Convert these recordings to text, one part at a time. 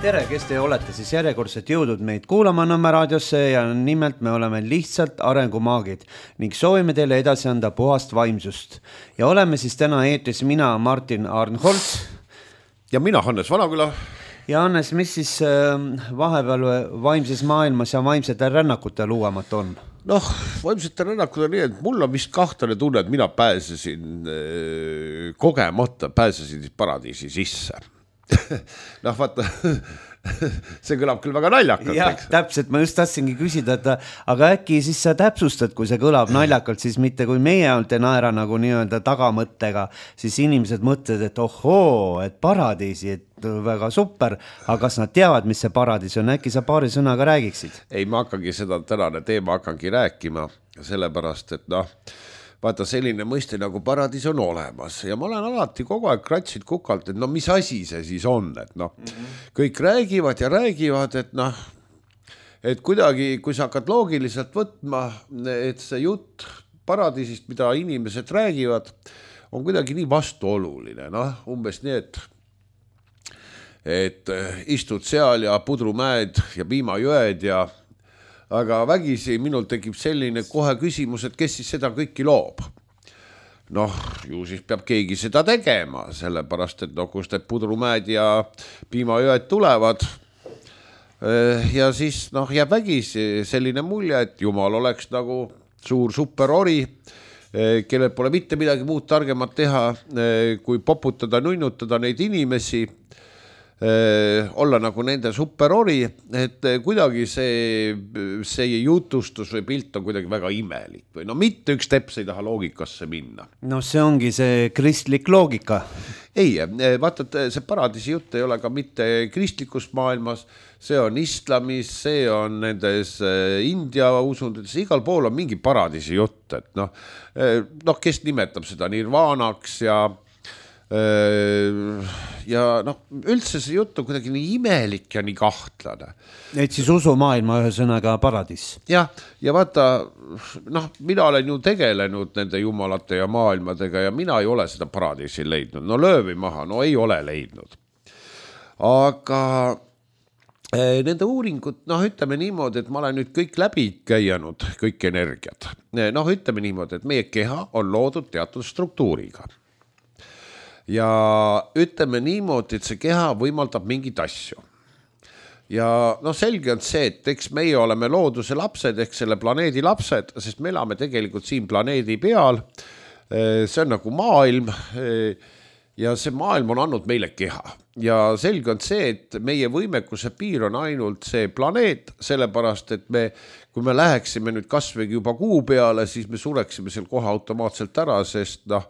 Tere, kes te olete siis järjekordselt jõudnud meid kuulama Nõmme raadiosse ja nimelt me oleme lihtsalt arengumaagid ning soovime teile edasi anda puhast vaimsust. Ja oleme siis täna eetris mina, Martin Arnholz. Ja mina, Hannes Vanaküla. Ja Hannes, mis siis vahepeal vaimses maailmas ja vaimsete rännakute luuamat on? Noh, vaimsete rännakud on nii, et mul on vist kahtlane tunne, et mina pääsesin kogemata, pääsesin paradiisi sisse. Noh, vaata, see kõlab küll väga naljakalt. Jah, täpselt, ma just tahtsingi küsida, et aga äkki siis sa täpsustad, kui see kõlab naljakalt, siis mitte kui meie olnud ei naera nagu nii-öelda tagamõttega, siis inimesed mõtlevad, et ohoo, et paradiisi, et väga super, aga kas nad teavad, mis see paradiis on, äkki sa paari sõnaga räägiksid? Ei, ma hakkangi seda tänane teema rääkima, sellepärast, et noh, vaata selline mõiste nagu paradiis on olemas ja ma olen alati kogu aeg kratsid kukalt, et no mis asi see siis on, et noh, kõik räägivad ja räägivad, et noh, et kuidagi, kui sa hakkad loogiliselt võtma, et see jutt paradiisist, mida inimesed räägivad, on kuidagi nii vastuoluline, noh, umbes nii, et istud seal ja pudrumäed ja piimajõed ja aga vägisi minul tekib selline kohe küsimus, et kes siis seda kõiki loob. Noh, ju siis peab keegi seda tegema, sellepärast, et no, kus need pudrumäed ja piimajõed tulevad. Ja siis noh, jääb vägisi selline mulje, et Jumal oleks nagu suur superori, kellel pole mitte midagi muud targemat teha, kui poputada, nunnutada neid inimesi, olla nagu nende superori, et kuidagi see jutustus või pilt on kuidagi väga imelik või no mitte üks teps ei taha loogikasse minna. No see ongi see kristlik loogika. Ei, vaata, see paradiisi jutt ei ole ka mitte kristlikus maailmas, see on islamis, see on nendes India usundides, igal pool on mingi paradiisi jutt, et noh, kes nimetab seda nirvaanaks ja noh, üldse see jutt on kuidagi nii imelik ja nii kahtlane. Et siis usumaailma ühe sõnaga paradiis. Ja vaata, noh, mina olen ju tegelenud nende jumalate ja maailmadega ja mina ei ole seda paradiisi leidnud. No löövi maha, no ei ole leidnud. Aga nende uuringud, noh, ütleme niimoodi, et ma olen nüüd kõik läbi käinud, kõik energiat. Noh, ütleme niimoodi, et meie keha on loodud teatud struktuuriga. Ja ütleme niimoodi, et see keha võimaldab mingid asju. Ja noh, selge on see, et eks meie oleme looduse lapsed ehk selle planeedi lapsed, sest me elame tegelikult siin planeedi peal. See on nagu maailm ja see maailm on andnud meile keha. Ja selge on see, et meie võimekuse piir on ainult see planeet, sellepärast, et kui me läheksime nüüd kasvõi juba kuu peale, siis me sureksime seal kohe automaatselt ära, sest noh,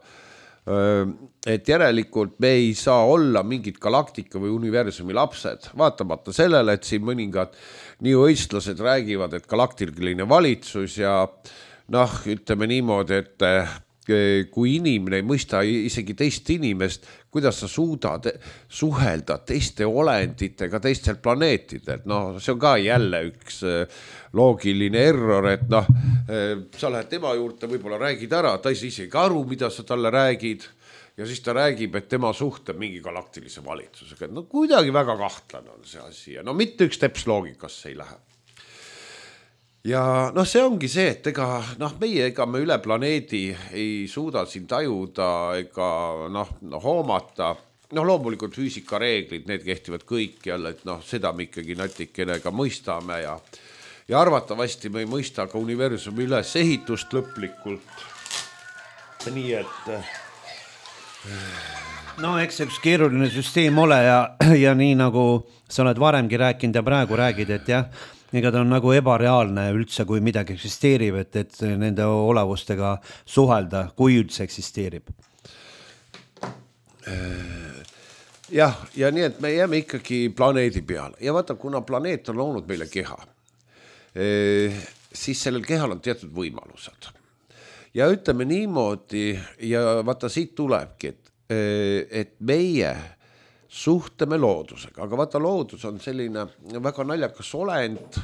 et järelikult me ei saa olla mingid galaktika või universumi lapsed, vaatamata sellele, et siin mõningad neoistlased räägivad, et galaktiline valitsus ja noh, ütleme niimoodi, et kui inimene ei mõista isegi teist inimest, kuidas sa suudad suhelda teiste olenditega teistel planeetidel, noh, see on ka jälle üks loogiline error, et noh, sa lähed tema juurde, võib-olla räägid ära, ta ei saa isegi aru, mida sa talle räägid ja siis ta räägib, et tema suhtleb mingi galaktilise valitsusega, no kuidagi väga kahtlane on see asi ja no mitte üks teps loogikasse ei lähe. Ja noh, see ongi see, et ega me üle planeedi ei suuda siin tajuda ega hoomata. Noh, loomulikult füüsikareeglid, need kehtivad kõik jälle, et noh, seda me ikkagi natikene ka mõistame ja arvatavasti me ei mõista ka universumi üles ehitust lõplikult. Nii et no eks üks keeruline süsteem ole ja nii nagu sa oled varemgi rääkinud ja praegu räägid, et jah, ega ta on nagu ebareaalne üldse, kui midagi eksisteerib, et nende olavustega suhelda, kui üldse eksisteerib. Jah, ja nii, et me jääme ikkagi planeedi peale. Ja vaata, kuna planeet on loonud meile keha, siis sellel kehal on teatud võimalused. Ja ütleme niimoodi, ja vaata siit tulebki, et meie suhtleme loodusega, aga vaata loodus on selline väga naljakas olend,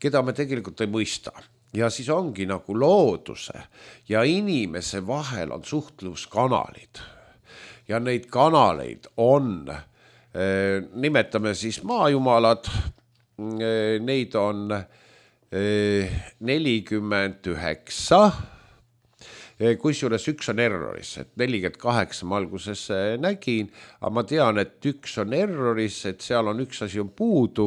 keda me tegelikult ei mõista. Ja siis ongi nagu looduse ja inimese vahel on suhtluskanalid. Ja neid kanaleid on nimetame siis maajumalad, neid on 49, kusjuures üks on erroris, et 48 ma alguses nägin, aga ma tean, et üks on erroris, et seal on üks asi on puudu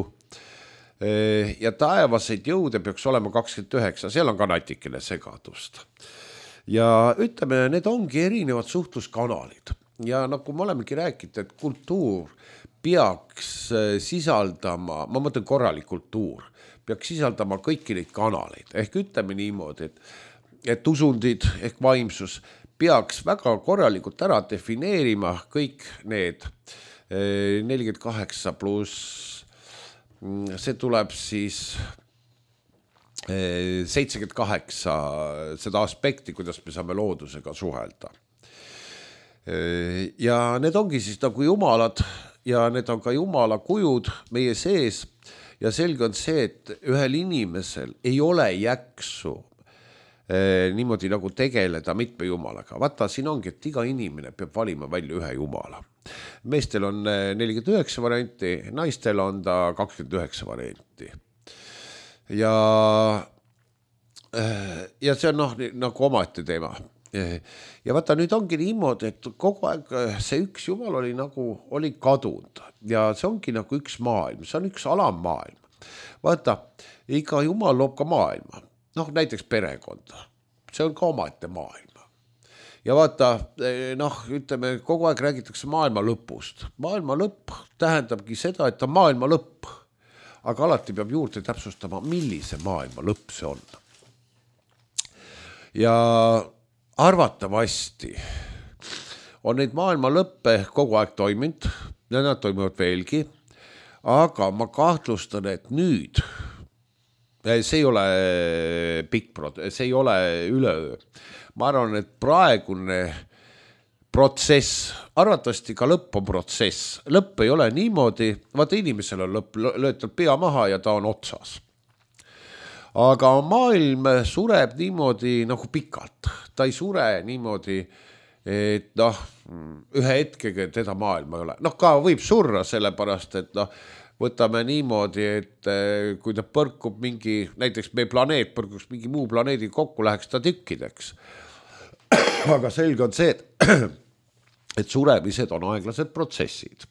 ja taevaseid jõude peaks olema 29, seal on ka natikene segadust. Ja ütleme, need ongi erinevad suhtluskanalid ja nagu me olemegi rääkinud, et kultuur peaks sisaldama, ma mõtlen korralik kultuur, peaks sisaldama kõiki neid kanaleid, ehk ütleme niimoodi, et usundid ehk vaimsus peaks väga korralikult ära defineerima kõik need 48 pluss, see tuleb siis 78 seda aspekti, kuidas me saame loodusega suhelda. Ja need ongi siis nagu jumalad ja need on ka jumala kujud meie sees ja selge on see, et ühel inimesel ei ole jaksu niimoodi nagu tegeleda mitme jumalaga. Vaata, siin ongi, et iga inimene peab valima välja ühe jumala. Meestel on 49 varianti, naistel on ta 29 varianti. Ja see on nagu omaette teema. Ja vaata, nüüd ongi niimoodi, et kogu aeg see üks jumal oli kadunud ja see ongi nagu üks maailm, see on üks alammaailm. Vaata, iga jumal loob ka maailma, näiteks perekonda, see on ka omaette maailma. Ja vaata, ütleme, kogu aeg räägitakse maailma lõpust. Maailma lõpp tähendabki seda, et on maailma lõpp, aga alati peab juurde täpsustama, millise maailma lõpp see on. Ja arvatavasti on neid maailma lõppe kogu aeg toiminud ja nad toimuvad veelgi, aga ma kahtlustan, et nüüd see ei ole see ei ole üleöö. Ma arvan, et praegune protsess, arvatavasti ka lõpp on protsess. Lõpp ei ole niimoodi, vaata inimesel on lõpp, löötab pea maha ja ta on otsas. Aga maailm sureb niimoodi nagu pikalt. Ta ei sure niimoodi, et ühe hetkega teda maailma ei ole. Ka võib surra sellepärast, et võtame niimoodi, et kui ta põrkub mingi, näiteks meie planeet põrkuks mingi muu planeedi kokku, läheks ta tükkideks. Aga selge on see, et suremised on aeglased protsessid.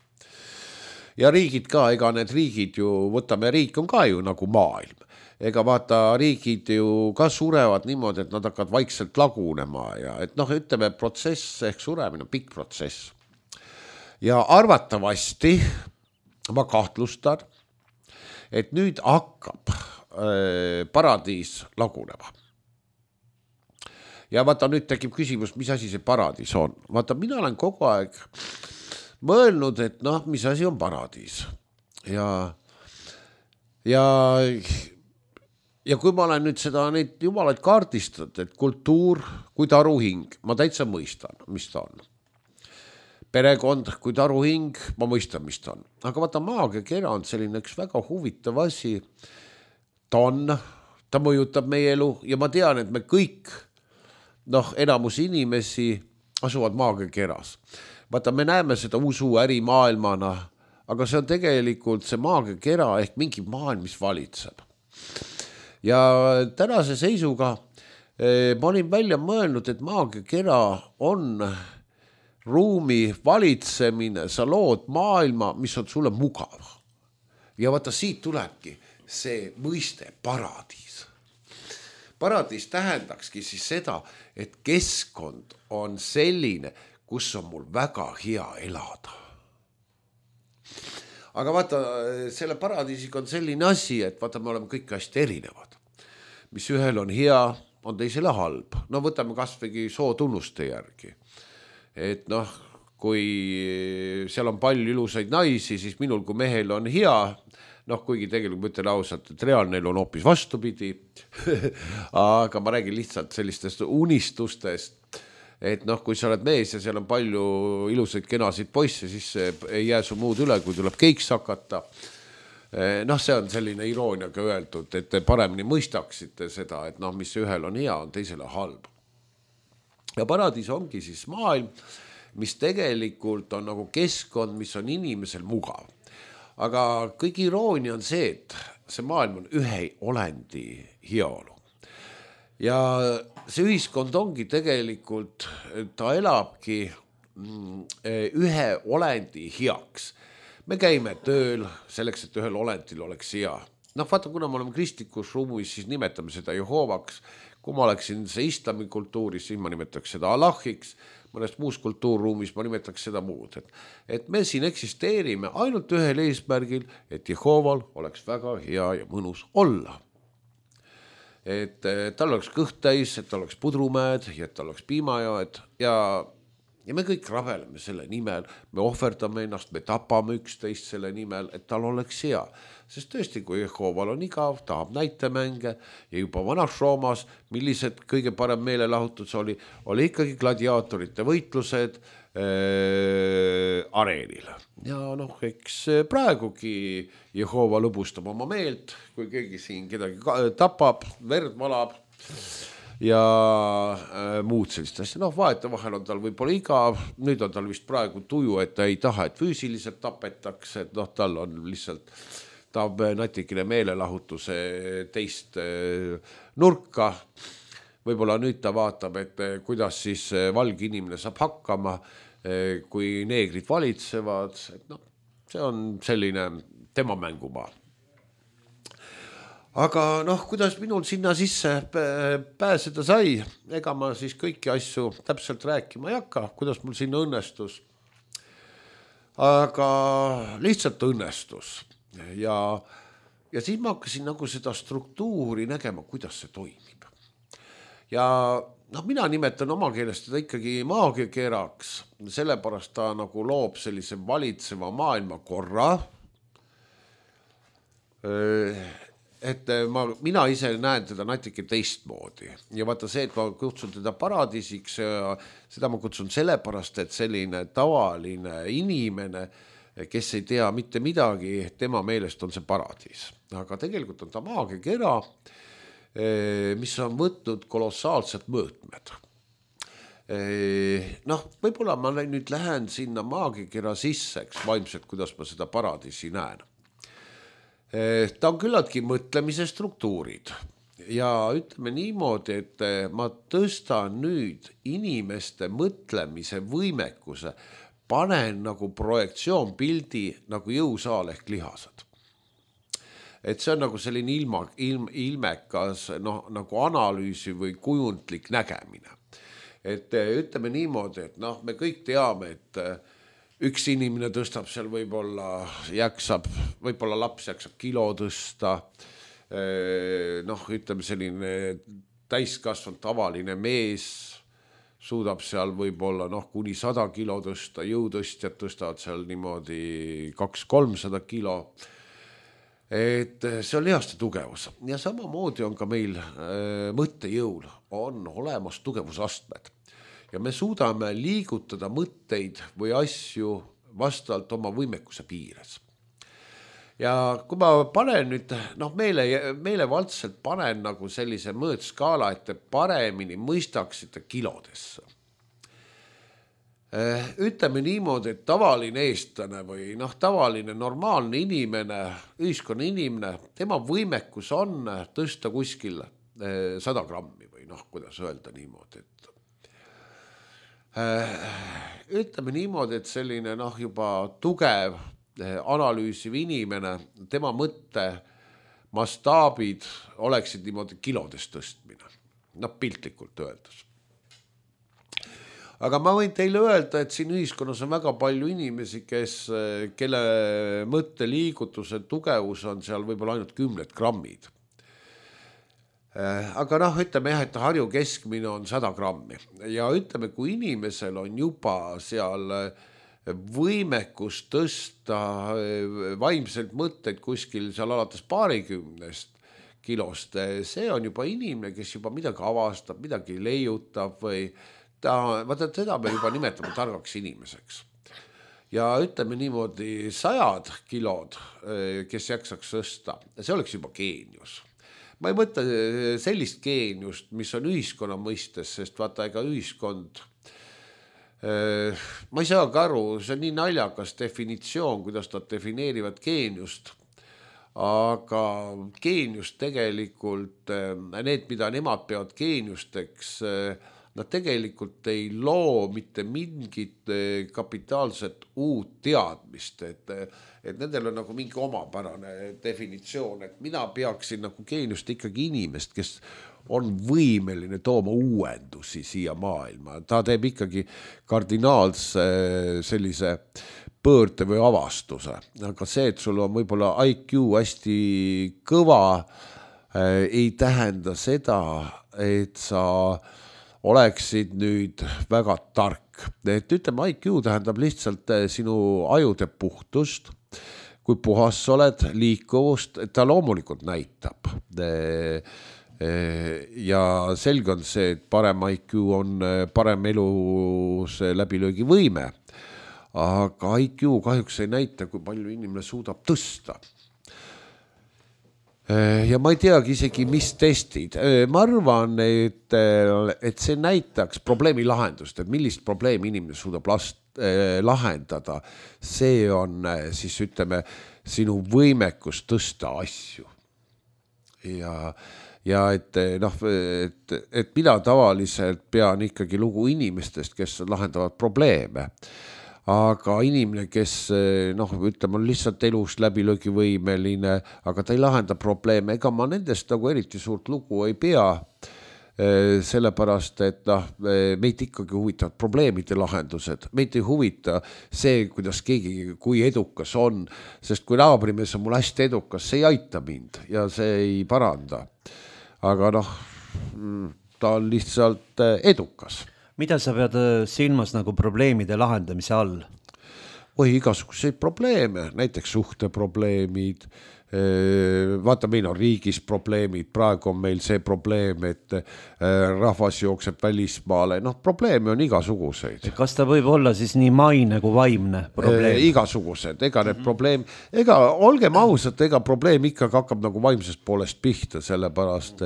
Ja riigid ka, ega need riigid ju, võtame riik on ka ju nagu maailm. Ega vaata, riigid ju ka surevad niimoodi, et nad hakkavad vaikselt lagunema ja et ütleme, protsess ehk suremine on pikk protsess. Ja arvatavasti ma kahtlustan, et nüüd hakkab paradiis lagunema. Ja vaata, nüüd tekib küsimus, mis asi see paradiis on. Vaata, mina olen kogu aeg mõelnud, et mis asi on paradiis. Ja kui ma olen nüüd neid jumalaid kaardistanud, et kultuur kui taruhing, ma täitsa mõistan, mis ta on. Perekond kui taruhing, ma mõistan, mis ta on. Aga vaata, maagia kera on selline üks väga huvitav asi. Ta mõjutab meie elu ja ma tean, et me kõik, enamus inimesi asuvad maagia keras. Vaata, me näeme seda usu ärimaailmana, aga see on tegelikult see maagia kera ehk mingi maailm, mis valitseb. Ja tänase seisuga ma olin välja mõelnud, et maagia kera on ruumi valitsemine, sa lood maailma, mis on sulle mugav. Ja vaata, siit tulebki see mõiste paradiis. Paradiis tähendakski siis seda, et keskkond on selline, kus on mul väga hea elada. Aga vaata, selle paradiisiga on selline asi, et vaata, me oleme kõik hästi erinevad. Mis ühel on hea, on teisele halb. Võtame kasvõi sootunnuste järgi. Et kui seal on palju ilusaid naisi, siis minul kui mehel on hea, kuigi tegelikult ma ütlen ausalt, et reaalne elu on hoopis vastupidi, aga ma räägin lihtsalt sellistest unistustest, et kui sa oled mees ja seal on palju ilusaid kenasid poisse, siis ei jää su muud üle, kui tuleb keiks hakata. See on selline irooniaga öeldud, et te paremini mõistaksite seda, et mis ühel on hea, on teisele halb. Ja paradiis ongi siis maailm, mis tegelikult on nagu keskkond, mis on inimesel mugav. Aga kõige iroonia on see, et see maailm on ühe olendi heaolu. Ja see ühiskond ongi tegelikult, ta elabki ühe olendi heaks. Me käime tööl selleks, et ühel olendil oleks hea. Vaata, kuna me oleme kristlikus ruumis, siis nimetame seda Jehovaks. Kui ma oleksin see islami kultuuris, siis ma nimetaks seda Allahiks. Mõnes muus kultuurruumis ma nimetaks seda muud. Et me siin eksisteerime ainult ühel eesmärgil, et Jehoval oleks väga hea ja mõnus olla. Et tal oleks kõht täis, et tal oleks pudrumäed ja et tal oleks piimajoed ja me kõik rabeleme selle nimel, me ohverdame ennast, me tapame üksteist selle nimel, et tal oleks hea. Sest tõesti, kui Jehoval on igav, tahab näitemänge ja juba vanas Roomas, millised kõige parem meelelahutus oli ikkagi gladiaatorite võitlused areenil. Ja eks praegugi Jehova lõbustab oma meelt, kui keegi siin kedagi tapab, verd valab ja muud sellist asja. Vaeta vahel on tal võib-olla igav, nüüd on tal vist praegu tuju, et ta ei taha, et füüsiliselt tapetakse, et tal on lihtsalt, tahab natikene meelelahutuse teist nurka. Võib-olla nüüd ta vaatab, et kuidas siis valge inimene saab hakkama, kui neegrid valitsevad. See on selline tema mängumaa. Aga kuidas minul sinna sisse pääseda sai, ega ma siis kõiki asju täpselt rääkima ei hakka, kuidas mul sinna õnnestus. Aga lihtsalt õnnestus. Ja siis ma hakkasin nagu seda struktuuri nägema, kuidas see toimib. Ja mina nimetan oma keelest teda ikkagi maagiakeraks, sellepärast ta nagu loob sellise valitseva maailmakorra. Et mina ise näen teda natuke teistmoodi ja vaata see, et ma kutsun teda paradiisiks, seda ma kutsun sellepärast, et selline tavaline inimene, kes ei tea mitte midagi, tema meelest on see paradiis. Aga tegelikult on ta maagiakera, mis on võtnud kolossaalsed mõõtmed. Võib-olla ma nüüd lähen sinna maagiakera sisse, vaimselt, kuidas ma seda paradiisi näen. Ta on küllaltki mõtlemise struktuurid ja ütleme niimoodi, et ma tõstan nüüd inimeste mõtlemise võimekuse, panen nagu projektsioonpildi nagu jõusaal ehk lihased. Et see on nagu selline ilmekas nagu analüüsi või kujundlik nägemine. Et ütleme niimoodi, et me kõik teame, et üks inimene tõstab seal võib-olla laps jaksab kilo tõsta, ütleme selline täiskasvanud tavaline mees suudab seal võib-olla kuni 100 kilo tõsta, jõutõstjad tõstavad seal niimoodi 200-300 kilo. Et see on lihaste tugevus ja samamoodi on ka meil mõttejõul on olemas tugevusastmed. Ja me suudame liigutada mõtteid või asju vastavalt oma võimekuse piires. Ja kui ma panen nüüd, meelevaldselt panen nagu sellise mõõtskaala, et te paremini mõistaksite kilodesse. Ütleme niimoodi, et tavaline eestlane või tavaline normaalne inimene, ühiskonna inimene, tema võimekus on tõsta kuskil 100 grammi või kuidas öelda niimoodi, et ütleme niimoodi, et selline juba tugev analüüsiv inimene, tema mõtte mastaabid oleksid niimoodi kilodes tõstmine, piltlikult öeldes. Aga ma võin teile öelda, et siin ühiskonnas on väga palju inimesi, kelle mõtteliigutuse tugevus on seal võib-olla ainult 10 grammid. Aga ütleme jah, et Harju keskmine on 100 grammi ja ütleme, kui inimesel on juba seal võimekus tõsta vaimselt mõtteid kuskil seal alates 20 kilost, see on juba inimene, kes juba midagi avastab, midagi leiutab või seda me juba nimetame targaks inimeseks. Ja ütleme niimoodi 100 kilod, kes jaksaks tõsta, see oleks juba geenius. Ma ei mõtle sellist geeniust, mis on ühiskonna mõistes, sest vaata ega ühiskond ma ei saagi aru, see on nii naljakas definitsioon, kuidas nad defineerivad geeniust. Aga geenius tegelikult, need, mida nemad peavad geeniusteks, nad tegelikult ei loo mitte mingit kapitaalset uut teadmist, et nendel on nagu mingi omapärane definitsioon, et mina peaksin nagu geeniust ikkagi inimest, kes on võimeline tooma uuendusi siia maailma. Ta teeb ikkagi kardinaalse sellise pöörde või avastuse, aga see, et sul on võib-olla IQ hästi kõva, ei tähenda seda, et sa oleksid nüüd väga tark. Et ütleme, IQ tähendab lihtsalt sinu ajude puhtust, kui puhas sa oled, liikuvust, ta loomulikult näitab. Ja selge on see, et parem IQ on parem elus läbilöögi võime. Aga IQ kahjuks ei näita, kui palju inimene suudab tõsta. Ja ma ei teagi isegi, mis testid. Ma arvan, et see näitaks probleemi lahendust, et millist probleemi inimene suudab lahendada. See on siis ütleme sinu võimekus tõsta asju. Ja et mina tavaliselt pean ikkagi lugu inimestest, kes lahendavad probleeme. Aga inimene, kes ütleme, on lihtsalt elus läbilöögivõimeline, aga ta ei lahenda probleeme, ega ma nendest nagu eriti suurt lugu ei pea, sellepärast, et meid ikkagi huvitavad probleemide lahendused, meid ei huvita see, kuidas keegi, kui edukas on, sest kui naabrimees on mul hästi edukas, see ei aita mind ja see ei paranda, aga ta on lihtsalt edukas. Mida sa pead silmas nagu probleemide lahendamise all? Igasuguseid probleeme, näiteks suhteprobleemid, vaata, meil on riigis probleemid, praegu on meil see probleem, et rahvas jookseb välismaale, probleeme on igasuguseid. Kas ta võib olla siis nii maine kui vaimne probleem? Igasugused, ega need probleem, olgem ausad, ega probleem ikkagi hakkab nagu vaimsest poolest pihta, sellepärast,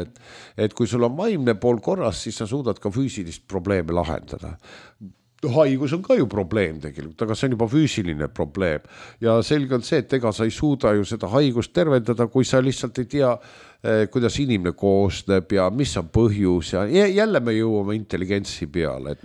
et kui sul on vaimne pool korras, siis sa suudad ka füüsilist probleeme lahendada. Haigus on ka ju probleem tegelikult, aga see on juba füüsiline probleem ja selge on see, et ega sa ei suuda ju seda haigust tervendada, kui sa lihtsalt ei tea, kuidas inimene koosneb ja mis on põhjus ja jälle me jõuame intelligentsi peale, et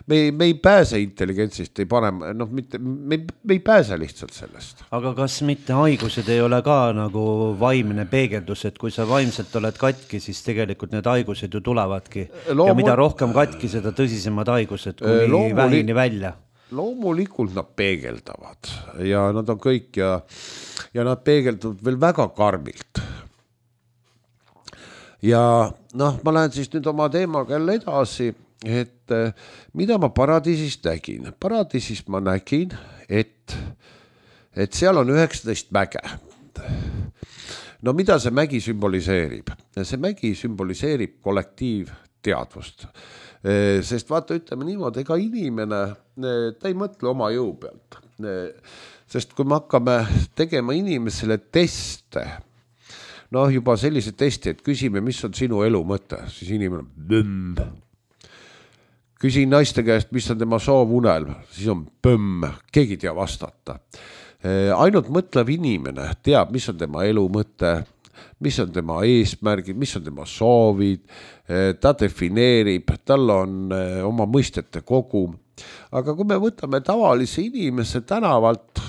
me ei pääse intelligentsist, me ei pääse lihtsalt sellest. Aga kas mitte haigused ei ole ka nagu vaimne peegeldus, et kui sa vaimselt oled katki, siis tegelikult need haigused ju tulevadki ja mida rohkem katki, seda tõsisemad haigused kuni vähini välja? Loomulikult nad peegeldavad ja nad on kõik ja nad peegeldavad veel väga karmilt. Ja ma lähen siis nüüd oma teemaga jälle edasi, et mida ma paradiisist nägin. Paradiisist ma nägin, et seal on 19 mäge. Mida see mägi sümboliseerib? See mägi sümboliseerib kollektiivteadvust. Sest vaata, ütleme niimoodi, ega inimene, ta ei mõtle oma jõu pealt. Sest kui me hakkame tegema inimesele teste, juba sellise testi, et küsime, mis on sinu elu mõte, siis inimene on Küsin naiste käest, mis on tema soovunelm, siis on keegi ei tea vastata. Ainult mõtlev inimene teab, mis on tema elu mõte, mis on tema eesmärgid, mis on tema soovid, ta defineerib, tal on oma mõistete kogum. Aga kui me võtame tavalise inimese tänavalt,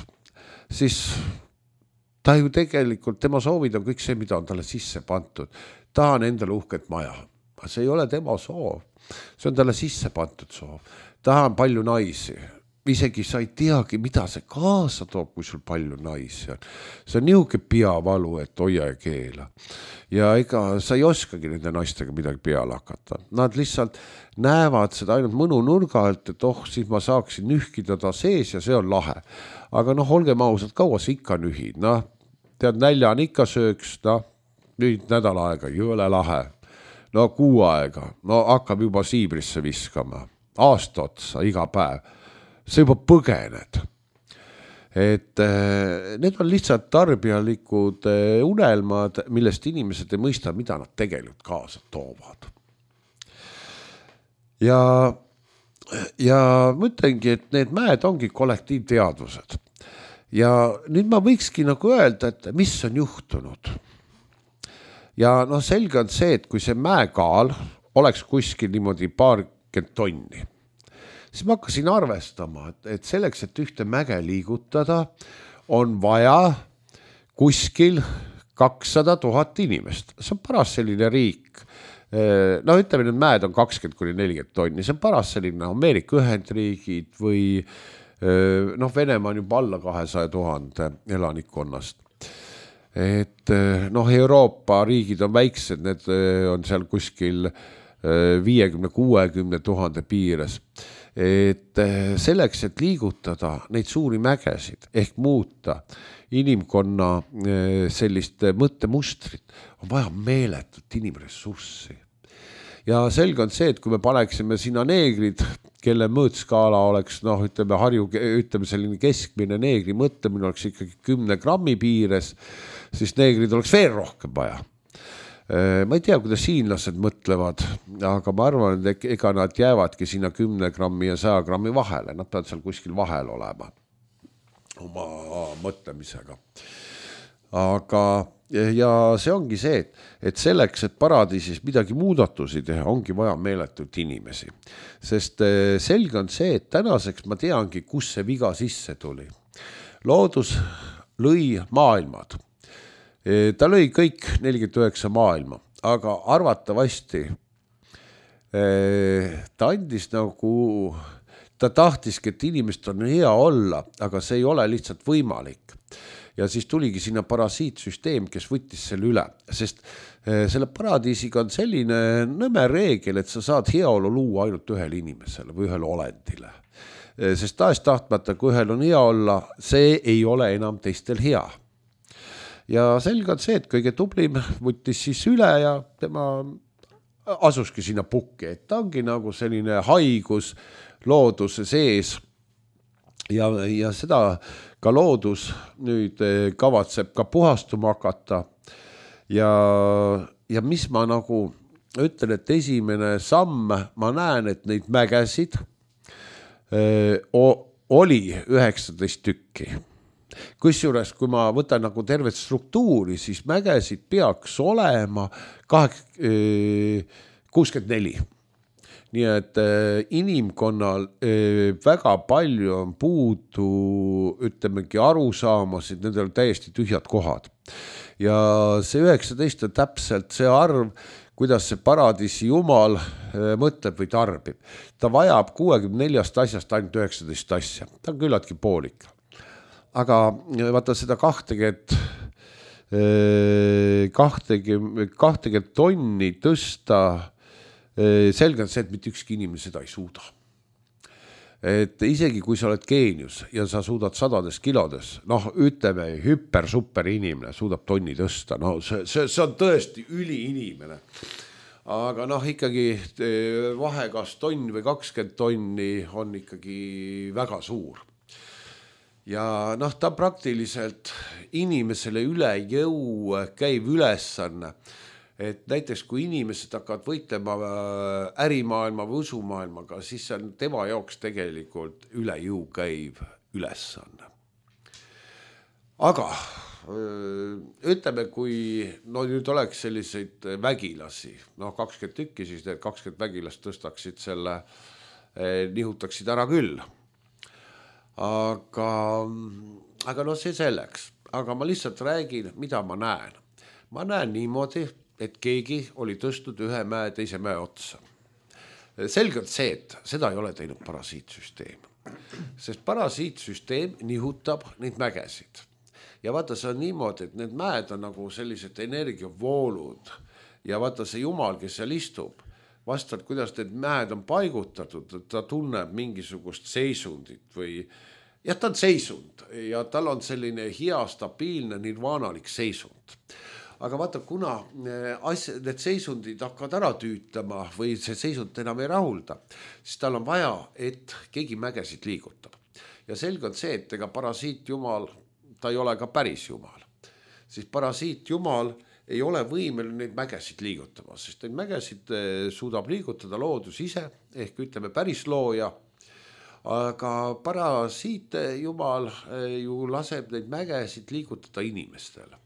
siis ta ju tegelikult, tema soovid on kõik see, mida on talle sisse pantud. Ta on endale uhket maja. See ei ole tema soov. See on talle sisse pantud soov. Ta on palju naisi. Isegi sa ei teagi, mida see kaasa toob, kui sul palju naisi on. See on nihuke peavalu, et hoia ja keela. Ja ega sa ei oskagi nende naistega midagi peale hakata. Nad lihtsalt näevad seda ainult mõnu nurga alt, et siis ma saaksin nühkida ta sees ja see on lahe. Aga olgem ausad, kaua sa ikka nühid, tead, nälja on ikka sööks, nüüd nädal aega, jõle lahe. Kuu aega, hakkab juba siibrisse viskama. Aasta otsa, iga päev. See juba põgened. Et need on lihtsalt tarbijalikud unelmad, millest inimesed ei mõista, mida nad tegelikult kaasa toovad. Ja ja mõtlengi, et need mäed ongi kollektiivteadvused. Ja nüüd ma võikski nagu öelda, et mis on juhtunud. Ja noh, selge on see, et kui see mäekaal oleks kuskil niimoodi 20 tonni, siis ma hakkasin arvestama, et selleks, et ühte mäge liigutada, on vaja kuskil 200 000 inimest. See on paras selline riik. No ütleme, need mäed on 20–40 tonni. See on paras selline Ameerika Ühendriigid või noh, Venemaa on juba alla 200 000 elanikkonnast. Et noh, Euroopa riigid on väiksed, need on seal kuskil 50–60 000 piires. Et selleks, et liigutada neid suuri mägesid ehk muuta inimkonna sellist mõttemustrit, on vaja meeletut inimressurssi. Ja selge on see, et kui me paneksime sinna neegrid, kelle mõõtskaala oleks, noh, ütleme selline keskmine neegri mõtlemine oleks ikkagi 10 grammi piires, siis neegrid oleks veel rohkem vaja. Ma ei tea, kuidas hiinlased mõtlevad, aga ma arvan, et ega nad jäävadki sinna 10 grammi ja 100 grammi vahele. Nad peavad seal kuskil vahel olema oma mõtlemisega. Aga ja see ongi see, et selleks, et paradiisis midagi muudatusi teha, ongi vaja meeletult inimesi. Sest selge on see, et tänaseks ma teangi, kus see viga sisse tuli. Loodus lõi maailmad. Ta lõi kõik 49 maailma, aga arvatavasti ta andis nagu, ta tahtiski, et inimest on hea olla, aga see ei ole lihtsalt võimalik. Ja siis tuligi sinna parasiitsüsteem, kes võttis selle üle, sest selle paradiisiga on selline nõme reegel, et sa saad heaolu luua ainult ühele inimesele või ühele olendile. Sest tahes-tahtmata, kui ühel on hea olla, see ei ole enam teistel hea. Ja selge on see, et kõige tublim võttis siis üle ja tema asuski sinna pukki, et ta ongi nagu selline haigus looduse sees ja seda ka loodus nüüd kavatseb ka puhastuma hakata ja mis ma nagu ütlen, et esimene samm, ma näen, et neid mägesid oli 19 tükki. Kusjuures, kui ma võtan nagu tervet struktuuri, siis mägesid peaks olema 64. Nii et inimkonnal väga palju on puudu, ütlemegi arusaamasid, nendel on täiesti tühjad kohad. Ja see 19 on täpselt see arv, kuidas see paradiisi jumal mõtleb või tarbib. Ta vajab 64 asjast ainult 19 asja. Ta on küllaltki poolik. Aga vaata seda 20 tonni tõsta, selge on see, et mitte ükski inimene seda ei suuda. Et isegi kui sa oled geenius ja sa suudad 100 kilodes, noh, ütleme, super inimene suudab tonni tõsta, no see on tõesti üliinimene. Aga noh, ikkagi vahe kas tonn või 20 tonni on ikkagi väga suur. Ja noh, ta praktiliselt inimesele üle jõu käiv ülesanne, et näiteks kui inimesed hakkavad võitlema ärimaailma või usumaailmaga, siis see on tema jaoks tegelikult üle jõu käiv ülesanne. Aga ütleme, kui no nüüd oleks selliseid vägilasi, noh 20 tükki, siis need 20 vägilast tõstaksid selle, nihutaksid ära küll. Aga no see selleks. Aga ma lihtsalt räägin, mida ma näen. Ma näen niimoodi, et keegi oli tõstnud ühe mäe teise mäe otsa. Selgelt see, et seda ei ole teinud parasiitsüsteem. Sest parasiitsüsteem nihutab neid mägesid. Ja vaata, see on niimoodi, et need mäed on nagu sellised energiavoolud. Ja vaata, see jumal, kes seal istub, vastavalt, kuidas need mäed on paigutatud, ta tunneb mingisugust seisundit või ta on seisund ja tal on selline hea, stabiilne, nirvaanalik seisund. Aga vaata, kuna need seisundid hakkavad ära tüütama või see seisund enam ei rahulda, siis tal on vaja, et keegi mägesid liigutab. Ja selge on see, et ega parasiitjumal, ta ei ole ka päris jumal. Siis parasiitjumal ei ole võimeline neid mägesid liigutama, sest neid mägesid suudab liigutada loodus ise ehk ütleme päris looja. Aga parasiite jumal ju laseb neid mägesid liigutada inimestele.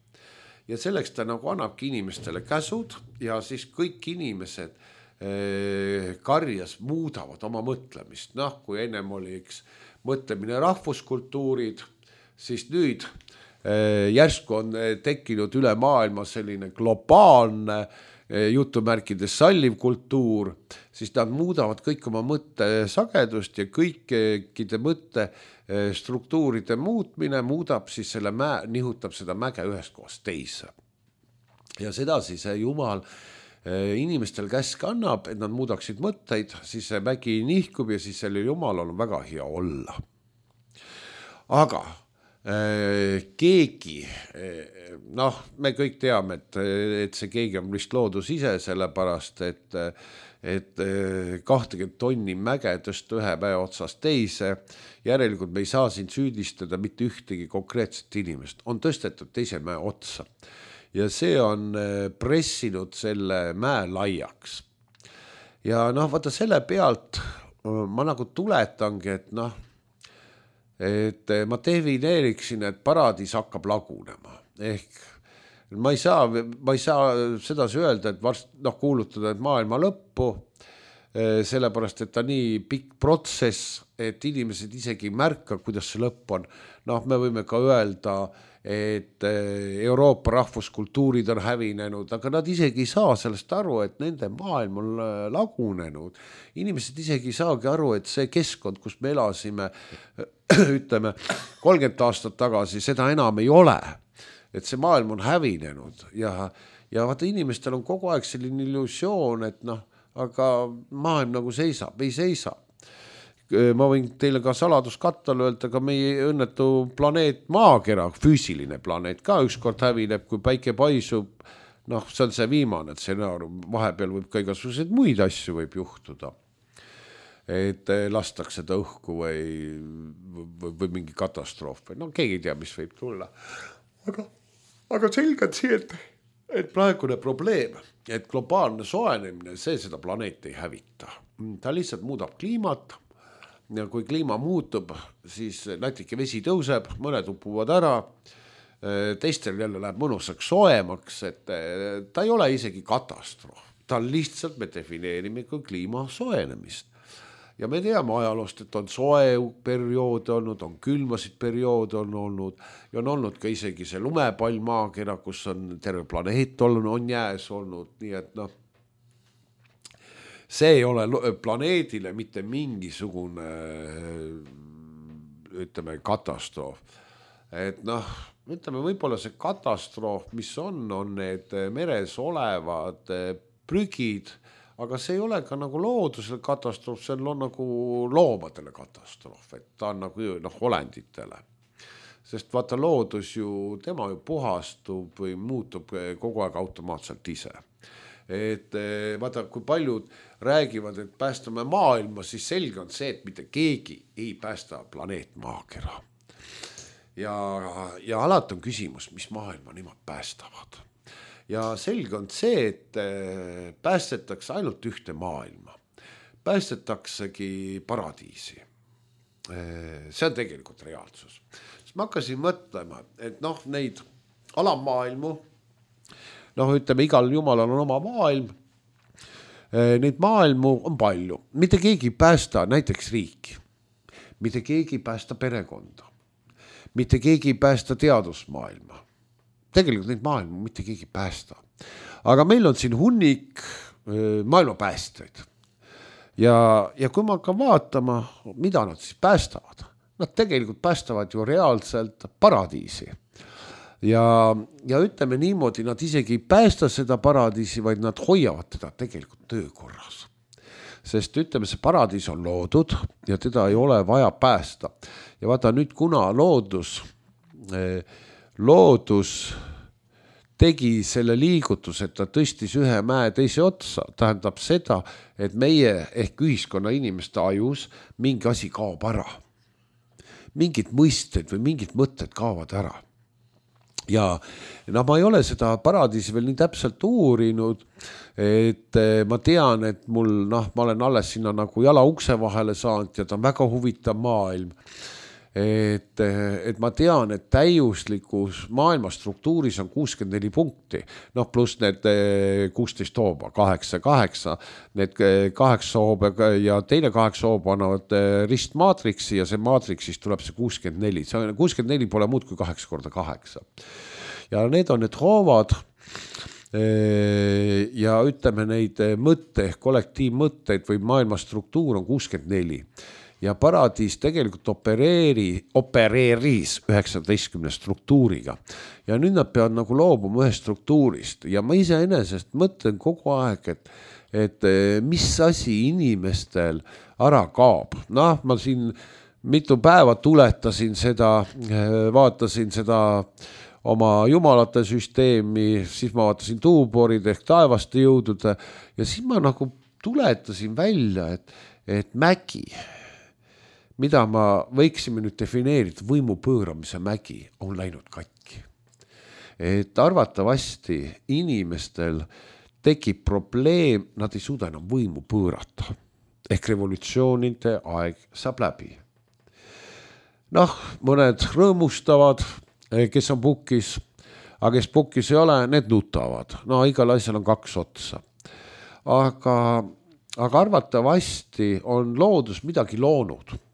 Ja selleks ta nagu annabki inimestele käsud ja siis kõik inimesed karjas muudavad oma mõtlemist. Noh, kui ennem oli mõtlemine rahvuskultuurid, siis nüüd järsku on tekkinud üle maailma selline globaalne jutumärkides salliv kultuur, siis nad muudavad kõik oma mõttesagedust ja kõikide mõtte struktuuride muutmine muudab siis selle nihutab seda mäge ühest kohast teise. Ja seda siis Jumal inimestel käsk annab, et nad muudaksid mõtteid, siis see mägi nihkub ja siis selle Jumalal on väga hea olla. Aga keegi, noh, me kõik teame, et see keegi on vist loodus ise, sellepärast, et 20 tonni mäge tõsta ühe päeva otsast teise, järelikult me ei saa siin süüdistada mitte ühtegi konkreetset inimest, on tõstetud teise mäe otsa ja see on pressinud selle mäe laiaks. Ja noh, vaata selle pealt ma nagu tuletangi, et noh, et ma defineeriksin, et paradiis hakkab lagunema. Ehk ma ei saa sedasi öelda, et varsti kuulutada, et maailma lõppu, sellepärast, et ta nii pikk protsess, et inimesed isegi märka, kuidas see lõpp on. Noh, me võime ka öelda, et Euroopa rahvuskultuurid on hävinenud, aga nad isegi ei saa sellest aru, et nende maailm on lagunenud. Inimesed isegi ei saagi aru, et see keskkond, kus me elasime, ütleme 30 aastat tagasi, seda enam ei ole. Et see maailm on hävinenud ja vaata inimestel on kogu aeg selline illusioon, et noh, aga maailm nagu seisab, ei seisa. Ma võin teile ka saladuskattal öelda, ka meie õnnetu planeet Maakera, füüsiline planeet ka ükskord hävineb, kui päike paisub. Noh, see on see viimane stsenaarium, vahepeal võib ka igasuguseid muid asju võib juhtuda. Et lastakse ta õhku või mingi katastroof. No keegi ei tea, mis võib tulla. Aga selgelt see, et praegune probleem, et globaalne soojenemine, see seda planeeti ei hävita. Ta lihtsalt muudab kliimat ja kui kliima muutub, siis natuke vesi tõuseb, mõned upuvad ära, teistel jälle läheb mõnusaks soojemaks, et ta ei ole isegi katastroof. Ta lihtsalt me defineerime kui kliima soojenemist. Ja me teame ajaloost, et on soe periood olnud, on külmasid periood on olnud ja on olnud ka isegi see lumepall Maakera, kus on terve planeet olnud, on jääs olnud, nii et noh, see ei ole planeedile mitte mingisugune, ütleme, katastroof. Et noh, ütleme, võib-olla see katastroof, mis on need meres olevad prügid, aga see ei ole ka nagu loodusele katastroof, see on nagu loomadele katastroof, et ta on nagu olenditele. Sest vaata loodus ju, tema ju puhastub või muutub kogu aeg automaatselt ise. Et vaata, kui paljud räägivad, et päästame maailma, siis selge on see, et mitte keegi ei päästa planeet Maakera. Ja alati on küsimus, mis maailma nemad päästavad. Ja selge on see, et päästetakse ainult ühte maailma. Päästetaksegi paradiisi. See on tegelikult reaalsus. Siis ma hakkasin mõtlema, et noh, neid alamaailmu, noh, ütleme, igal jumalal on oma maailm. Neid maailmu on palju. Mitte keegi ei päästa näiteks riiki. Mitte keegi ei päästa perekonda. Mitte keegi ei päästa teadusmaailma. Tegelikult neid maailmu mitte keegi päästa. Aga meil on siin hunnik maailma päästjaid. Ja kui ma hakkan vaatama, mida nad siis päästavad, nad tegelikult päästavad ju reaalselt paradiisi. Ja ütleme niimoodi, nad isegi ei päästa seda paradiisi, vaid nad hoiavad teda tegelikult töökorras. Sest ütleme, see paradiis on loodud ja teda ei ole vaja päästa. Ja vaata nüüd, kuna loodus tegi selle liigutus, et ta tõstis ühe mäe teise otsa, tähendab seda, et meie ehk ühiskonna inimeste ajus mingi asi kaob ära. Mingid mõisted või mingid mõtted kaovad ära. ja ma ei ole seda paradiisi veel nii täpselt uurinud, et ma tean, et mul, ma olen alles sinna nagu jala ukse vahele saanud ja ta on väga huvitav maailm. Et ma tean, et täiuslikus maailma struktuuris on 64 punkti, pluss need 16 hooba, 8, need 8 hooba ja teine 8 hooba annavad ristmaatriksi ja see maatriksist tuleb see 64. See 64 pole muud kui 8 korda 8. Ja need on need hoovad ja ütleme neid mõtte, kollektiivmõtteid või maailma struktuur on 64. Ja paradiis tegelikult opereeris 19 struktuuriga. Ja nüüd nad peavad nagu loobuma ühest struktuurist. Ja ma iseenesest mõtlen kogu aeg, et mis asi inimestel ära kaob. Ma siin mitu päeva tuletasin seda, vaatasin seda oma jumalate süsteemi, siis ma vaatasin tuuborid ehk taevaste jõudude ja siis ma nagu tuletasin välja, et mägi, mida ma võiksime nüüd defineerida, võimu pööramise mägi on läinud katki. Et arvatavasti inimestel tekib probleem, nad ei suuda enam võimu pöörata. Ehk revolutsioonide aeg saab läbi. Mõned rõõmustavad, kes on pukis, aga kes pukis ei ole, need nutavad. Igal asjal on 2 otsa. Aga arvatavasti on loodus midagi loonud.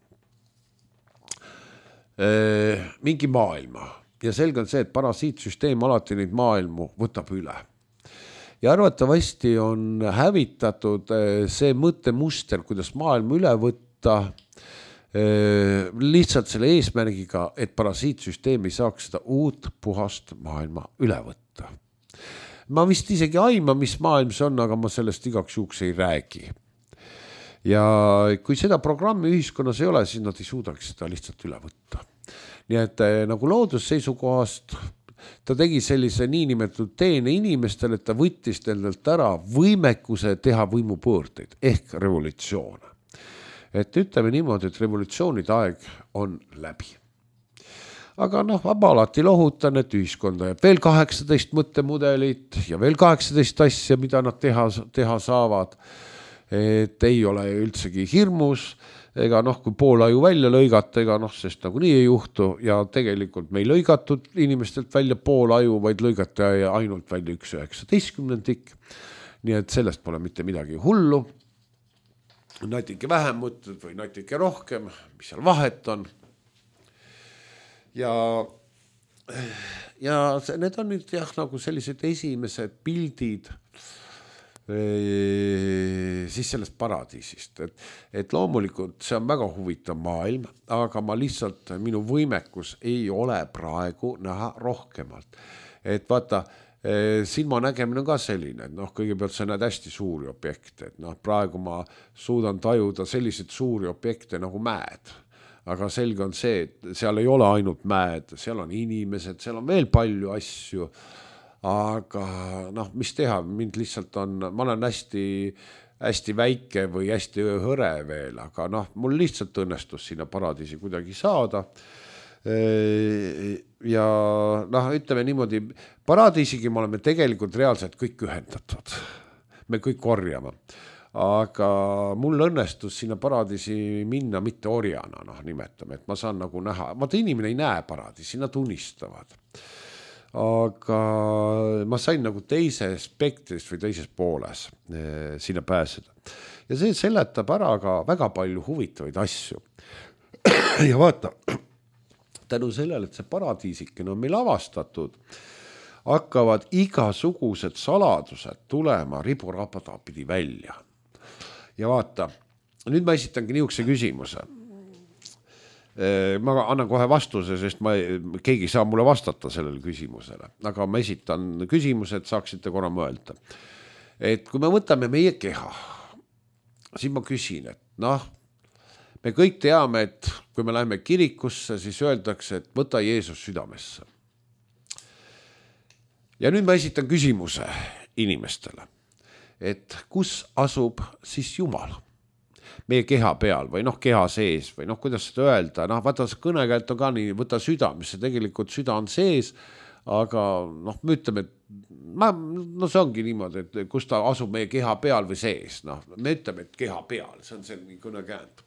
Mingi maailma ja selge on see, et parasiitsüsteem alati neid maailmu võtab üle ja arvatavasti on hävitatud see mõttemuster, kuidas maailma üle võtta lihtsalt selle eesmärgiga, et parasiitsüsteem ei saaks seda uut puhast maailma üle võtta. Ma vist isegi aima, mis maailm see on, aga ma sellest igaks juhuks ei räägi. Ja kui seda programmi ühiskonnas ei ole, siis nad ei suudaks seda lihtsalt üle võtta. Nii et nagu loodusseisukohast ta tegi sellise niinimetatud teene inimestele, et ta võttis nendelt ära võimekuse teha võimupöördeid ehk revolutsioone. Et ütleme niimoodi, et revolutsioonide aeg on läbi. Aga ma alati lohutan, et ühiskonda jääb veel 18 mõttemudelit ja veel 18 asja, mida nad teha saavad. Et ei ole üldsegi hirmus, ega kui pool aju välja lõigata, sest nagu nii ei juhtu ja tegelikult me ei lõigatud inimestelt välja pool aju, vaid lõigata ainult välja 1/19. Nii et sellest pole mitte midagi hullu. Natuke vähem mõtled või natuke rohkem, mis seal vahet on. Ja need on nüüd nagu sellised esimesed pildid siis sellest paradiisist, et loomulikult see on väga huvitav maailm, aga ma lihtsalt, minu võimekus ei ole praegu näha rohkemalt. Et vaata, silma nägemine on ka selline, et kõigepealt sa näed hästi suuri objekte, et praegu ma suudan tajuda selliseid suuri objekte nagu mäed, aga selge on see, et seal ei ole ainult mäed, seal on inimesed, seal on veel palju asju. Aga mis teha, mind lihtsalt on, ma olen hästi väike või hästi hõre veel, aga mul lihtsalt õnnestus sinna paradiisi kuidagi saada. Ja ütleme niimoodi, paradiisigi me oleme tegelikult reaalselt kõik ühendatud. Me kõik korjame. Aga mul õnnestus sinna paradiisi minna mitte orjana, nimetame, et ma saan nagu näha. Vaata, inimene ei näe paradiisi, nad unistavad. Aga ma sain nagu teise spektrist või teises pooles sinna pääseda. Ja see seletab ära ka väga palju huvitavaid asju. Ja vaata, tänu sellele, et see paradiisikene on meil avastatud, hakkavad igasugused saladused tulema riburapatapidi välja. Ja vaata, nüüd ma esitangi niisuguse küsimuse. Ma annan kohe vastuse, sest keegi saa mulle vastata sellele küsimusele. Aga ma esitan küsimuse, et saaksite korra mõelda. Et kui me võtame meie keha, siis ma küsin, et me kõik teame, et kui me läheme kirikusse, siis öeldakse, et võta Jeesus südamesse. Ja nüüd ma esitan küsimuse inimestele, et kus asub siis Jumal? Meie keha peal või keha sees või kuidas seda öelda, vaata kõnekäelt on ka nii, võta südamesse, tegelikult süda on sees, aga noh, me ütleme, et no see ongi niimoodi, et kus ta asub meie keha peal või sees, noh, me ütleme, et keha peal, see on see kõnekäänd.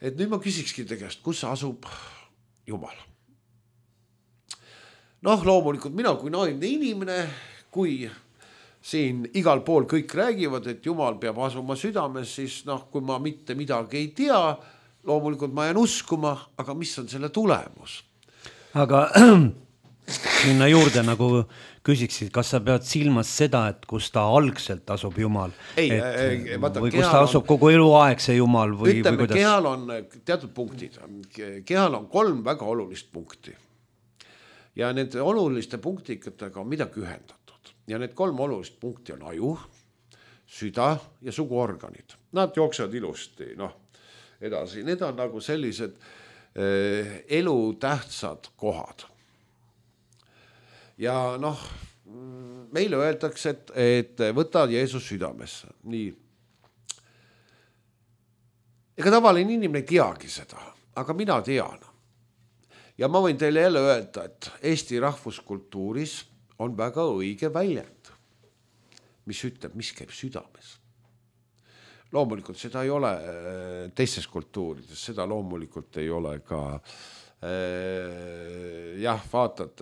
Et nüüd ma küsikski tegest, kus asub Jumal? Noh, loomulikult mina kui naine inimene, kui siin igal pool kõik räägivad, et Jumal peab asuma südames, siis noh, kui ma mitte midagi ei tea, loomulikult ma jään uskuma, aga mis on selle tulemus? Aga sinna juurde nagu küsiksid, kas sa pead silmas seda, et kus ta algselt asub Jumal? Või kus ta asub kogu eluaeg see Jumal? Ütleme, kehal on teatud punktid. Kehal on 3 väga olulist punkti. Ja need oluliste punktikatega on midagi ühendatud. Ja need 3 olulist punkti on aju, süda ja suguorganid. Nad jooksevad ilusti, noh, edasi. Need on nagu sellised elutähtsad kohad. Ja noh, meile öeldakse, et võta Jeesus südamesse. Nii. Ega tavaline inimene ei teagi seda, aga mina tean. Ja ma võin teile jälle öelda, et Eesti rahvuskultuuris on väga õige väljend, mis ütleb, mis käib südames. Loomulikult seda ei ole teistes kultuurides, seda loomulikult ei ole ka jah, vaatad,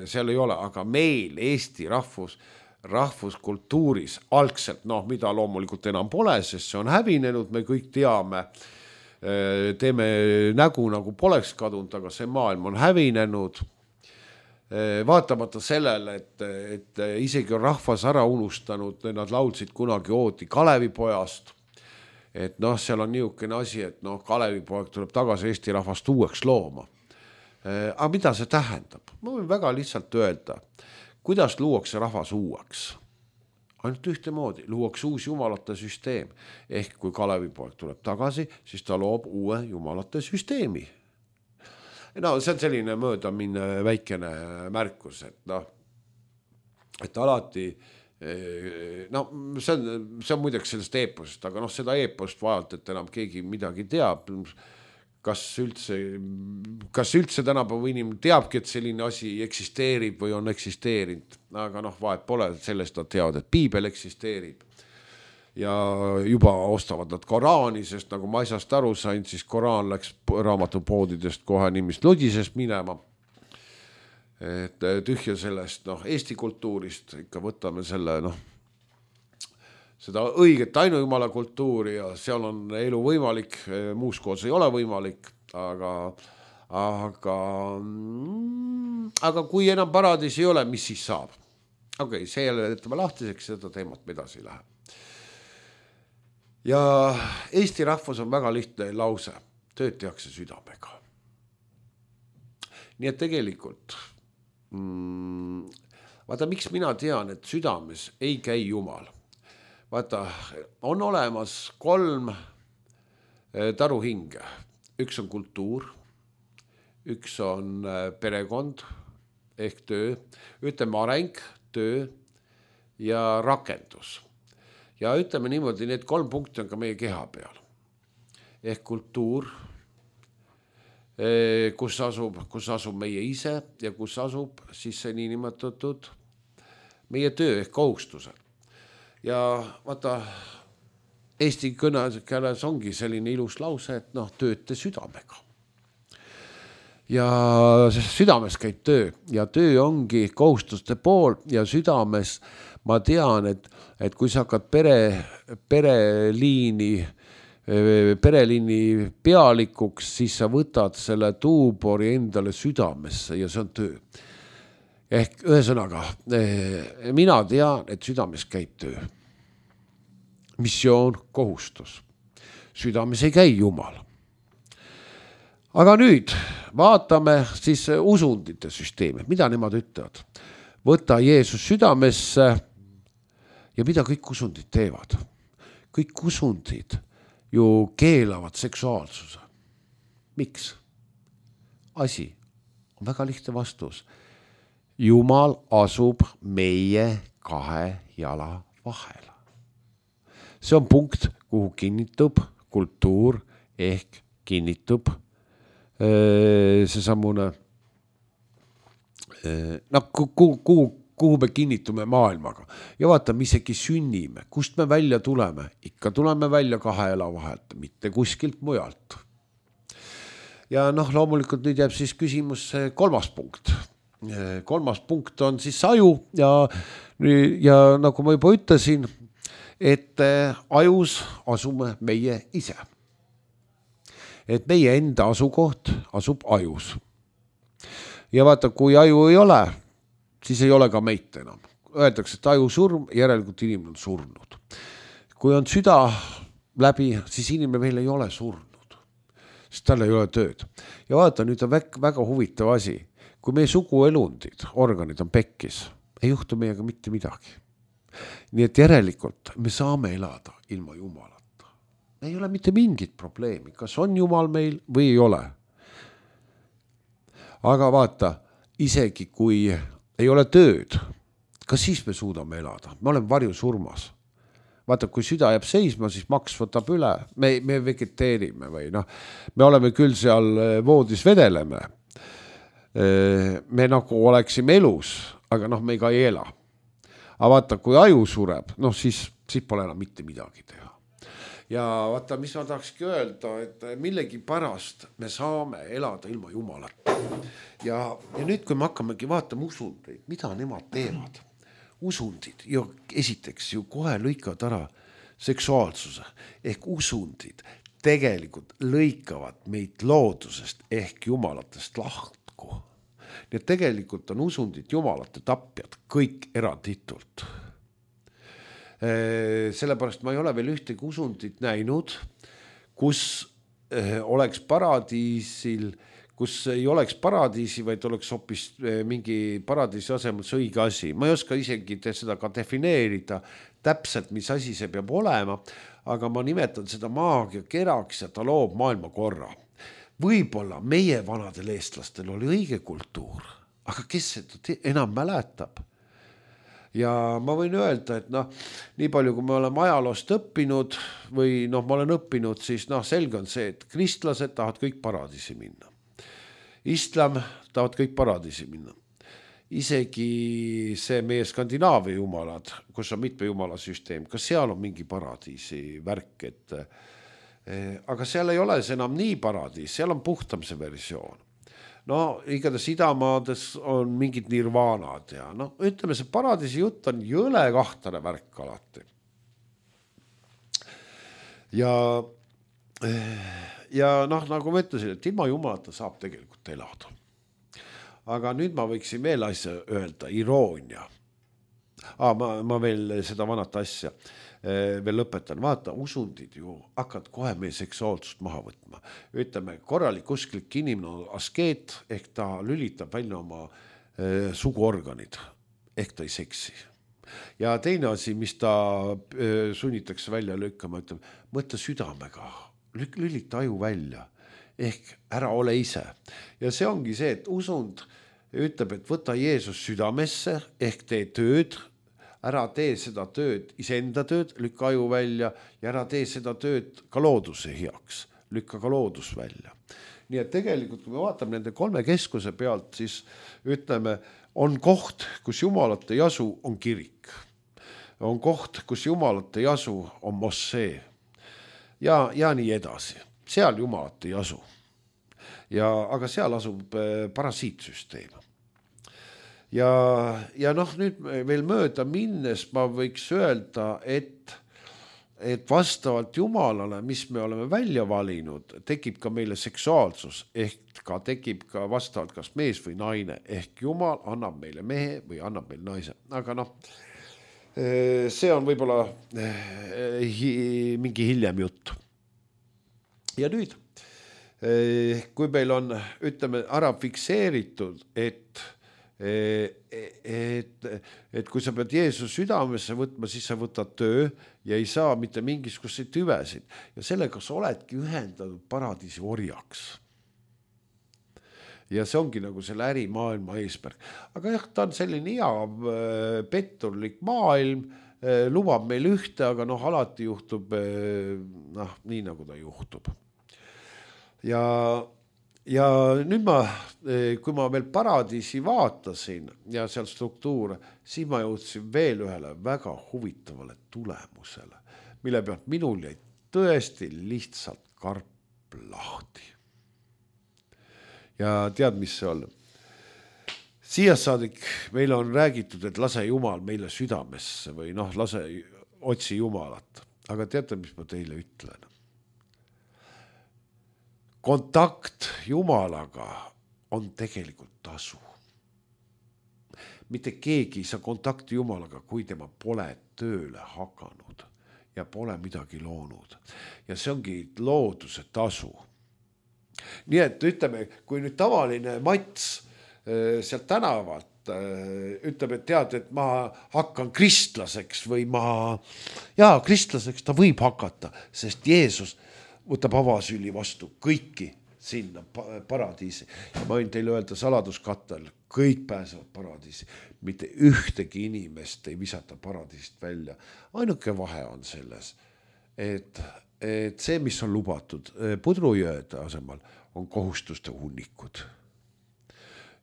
seal ei ole, aga meil Eesti rahvuskultuuris algselt, noh, mida loomulikult enam pole, sest see on hävinenud, me kõik teame, teeme nägu nagu poleks kadunud, aga see maailm on hävinenud. Vaatamata sellele, et isegi on rahvas ära unustanud, nad laulsid kunagi ooti Kalevipojast, et noh, seal on niisugune asi, et noh, Kalevipoeg tuleb tagasi Eesti rahvast uueks looma. Aga mida see tähendab? Ma võin väga lihtsalt öelda, kuidas luuakse rahvas uueks. Ainult ühtemoodi, luuakse uus jumalate süsteem. Ehk kui Kalevipoeg tuleb tagasi, siis ta loob uue jumalate süsteemi. No see on selline möödaminne väikene märkus, et noh, et alati, no see on muideks sellest eeposest, aga noh, seda eepost vajalt, et enam keegi midagi teab, kas üldse tänapäeva inimene teabki, et selline asi eksisteerib või on eksisteerinud, aga noh, vahet pole, sellest nad teavad, et piibel eksisteerib. Ja juba ostavad nad Koraani, sest nagu ma asjast aru sain, siis Koraan läks raamatupoodidest kohe nimist ludisest minema. Et tühja sellest, noh, Eesti kultuurist ikka võtame selle, noh, seda õiget ainujumala kultuuri ja seal on elu võimalik, muus koos ei ole võimalik, aga kui enam paradiis ei ole, mis siis saab? Okei, see jälle jätame lahtiseks, seda teemat me edasi läheb. Ja Eesti rahvus on väga lihtne lause, tööd tehakse südamega. Nii et tegelikult, vaata, miks mina tean, et südames ei käi Jumal. Vaata, on olemas 3 taruhinge. Üks on kultuur, üks on perekond ehk töö, ütleme areng, töö ja rakendus. Ja ütleme niimoodi, need 3 punkti on ka meie keha peal. Ehk kultuur, kus asub meie ise ja kus asub siis see niinimetatud meie töö ehk kohustused. Ja vaata, Eesti kõnes ongi selline ilus lause, et noh, tööte südamega. Ja südames käib töö ja töö ongi kohustuste pool ja südames ma tean, et kui sa hakkad pereliini pealikuks, siis sa võtad selle tuubori endale südamesse ja see on töö. Ehk ühesõnaga, mina tean, et südames käib töö. Missioon, kohustus. Südames ei käi Jumal. Aga nüüd vaatame siis usundite süsteemi. Mida nemad ütlevad? Võta Jeesus südamesse ja mida kõik usundid teevad? Kõik usundid ju keelavad seksuaalsuse. Miks? Asi on väga lihtne vastus. Jumal asub meie 2 jala vahel. See on punkt, kuhu kinnitub kultuur ehk kinnitub see samune noh, kuhu me kinnitume maailmaga ja vaata, me isegi sünnime, kust me välja tuleme, ikka tuleme välja kahe ela vahelt, mitte kuskilt mujalt. Ja noh, loomulikult nüüd jääb siis küsimus kolmas punkt. Kolmas punkt on siis aju ja nagu ma juba ütlesin, et ajus asume meie ise. Et meie enda asukoht asub ajus. Ja vaata, kui aju ei ole, siis ei ole ka meid enam. Öeldakse, et aju surm, järelikult inimene on surnud. Kui on süda läbi, siis inimene veel ei ole surnud. Sest tal ei ole tööd. Ja vaata, nüüd on väga huvitav asi. Kui meie suguelundid, organid on pekkis, ei juhtu meiega mitte midagi. Nii et järelikult me saame elada ilma Jumalata. Ei ole mitte mingit probleemi, kas on Jumal meil või ei ole. Aga vaata, isegi kui ei ole tööd, kas siis me suudame elada? Me oleme varjusurmas. Vaata, kui süda jääb seisma, siis maks võtab üle, me vegeteerime või noh, me oleme küll seal voodis vedeleme. Me nagu oleksime elus, aga noh, me ka ei ela. Aga vaata, kui aju sureb, noh siis pole enam mitte midagi teha. Ja vaata, mis ma tahakski öelda, et millegi pärast me saame elada ilma Jumalata. Ja nüüd, kui me hakkamegi vaatama usundeid, mida nemad teevad, usundid ja esiteks ju kohe lõikavad ära seksuaalsuse ehk usundid tegelikult lõikavad meid loodusest ehk Jumalatest lahku. Nii et tegelikult on usundid Jumalate tapjad kõik eranditult. Sellepärast ma ei ole veel ühtegi usundit näinud, kus oleks paradiisil, kus ei oleks paradiisi, vaid oleks hoopis mingi paradiisi asemel õige asi. Ma ei oska isegi seda ka defineerida täpselt, mis asi see peab olema, aga ma nimetan seda maagia keraks ja ta loob maailma korra. Võib-olla meie vanadel eestlastel oli õige kultuur, aga kes seda enam mäletab? Ja ma võin öelda, et noh, nii palju kui me oleme ajaloost õppinud või noh, ma olen õppinud, siis noh, selge on see, et kristlased tahavad kõik paradiisi minna. Islam tahavad kõik paradiisi minna. Isegi see meie Skandinaavia jumalad, kus on mitme jumala süsteem, kas seal on mingi paradiisi värk, aga seal ei ole see enam nii paradiis, seal on puhtam see versioon. No igatahes idamaades on mingid nirvaanad ja no ütleme, see paradiisi jutt on jõle kahtane värk alati. Ja noh, nagu ma ütlesin, et ilma Jumalata saab tegelikult elada. Aga nüüd ma võiksin veel asja öelda, iroonia. Ma veel seda vanat asja veel lõpetan. Vaata, usundid ju hakkad kohe meie seksuaalsust maha võtma. Ütleme, korralik usklik inimene on askeet, ehk ta lülitab välja oma suguorganid, ehk ta ei seksi. Ja teine asi, mis ta sunnitakse välja lükkama, ütleme, mõtle südamega, lülita aju välja, ehk ära ole ise. Ja see ongi see, et usund ütleb, et võta Jeesus südamesse, ehk tee tööd, ära tee seda tööd, iseenda tööd, lükka aju välja ja ära tee seda tööd ka looduse heaks, lükka ka loodus välja. Nii et tegelikult, kui me vaatame nende kolme keskuse pealt, siis ütleme, on koht, kus Jumalat ei asu, on kirik. On koht, kus Jumalat ei asu, on mossee. Ja nii edasi. Seal Jumalat ei asu. Aga seal asub parasiitsüsteem. Ja noh, nüüd veel mööda minnes ma võiks öelda, et vastavalt Jumalale, mis me oleme välja valinud, tekib ka meile seksuaalsus, ehk ka tekib ka vastavalt kas mees või naine, ehk Jumal annab meile mehe või annab meile naise. Aga noh, see on võib-olla mingi hiljem jutt. Ja nüüd, kui meil on, ütleme, ära fikseeritud, et kui sa pead Jeesus südamesse võtma, siis sa võtad töö ja ei saa mitte mingisuguseid tüvesid. Ja sellega sa oledki ühendatud paradiisi orjaks. Ja see ongi nagu selle ärimaailma eesmärk. Aga jah, ta on selline hea petturlik maailm, lubab meil ühte, aga noh, alati juhtub nii, nagu ta juhtub. Ja ja nüüd kui ma veel paradiisi vaatasin ja seal struktuure, siis ma jõudsin veel ühele väga huvitavale tulemusele, mille pealt minul jäi tõesti lihtsalt karp lahti. Ja tead, mis see on? Siia saadik meile on räägitud, et lase Jumal meile südamesse või otsi Jumalat. Aga teate, mis ma teile ütlen? Kontakt Jumalaga on tegelikult tasu. Mitte keegi ei saa kontakti Jumalaga, kui tema pole tööle hakanud ja pole midagi loonud. Ja see ongi looduse tasu. Nii et ütleme, kui nüüd tavaline Mats sealt tänavalt ütleb, et tead, et ma hakkan kristlaseks või kristlaseks ta võib hakata, sest Jeesus võtab avasüli vastu kõiki sinna paradiisi. Ja ma võin teile öelda saladuskattel, kõik pääsevad paradiisi. Mitte ühtegi inimest ei visata paradiisist välja. Ainuke vahe on selles, et see, mis on lubatud pudrujõede asemal, on kohustuste hunnikud.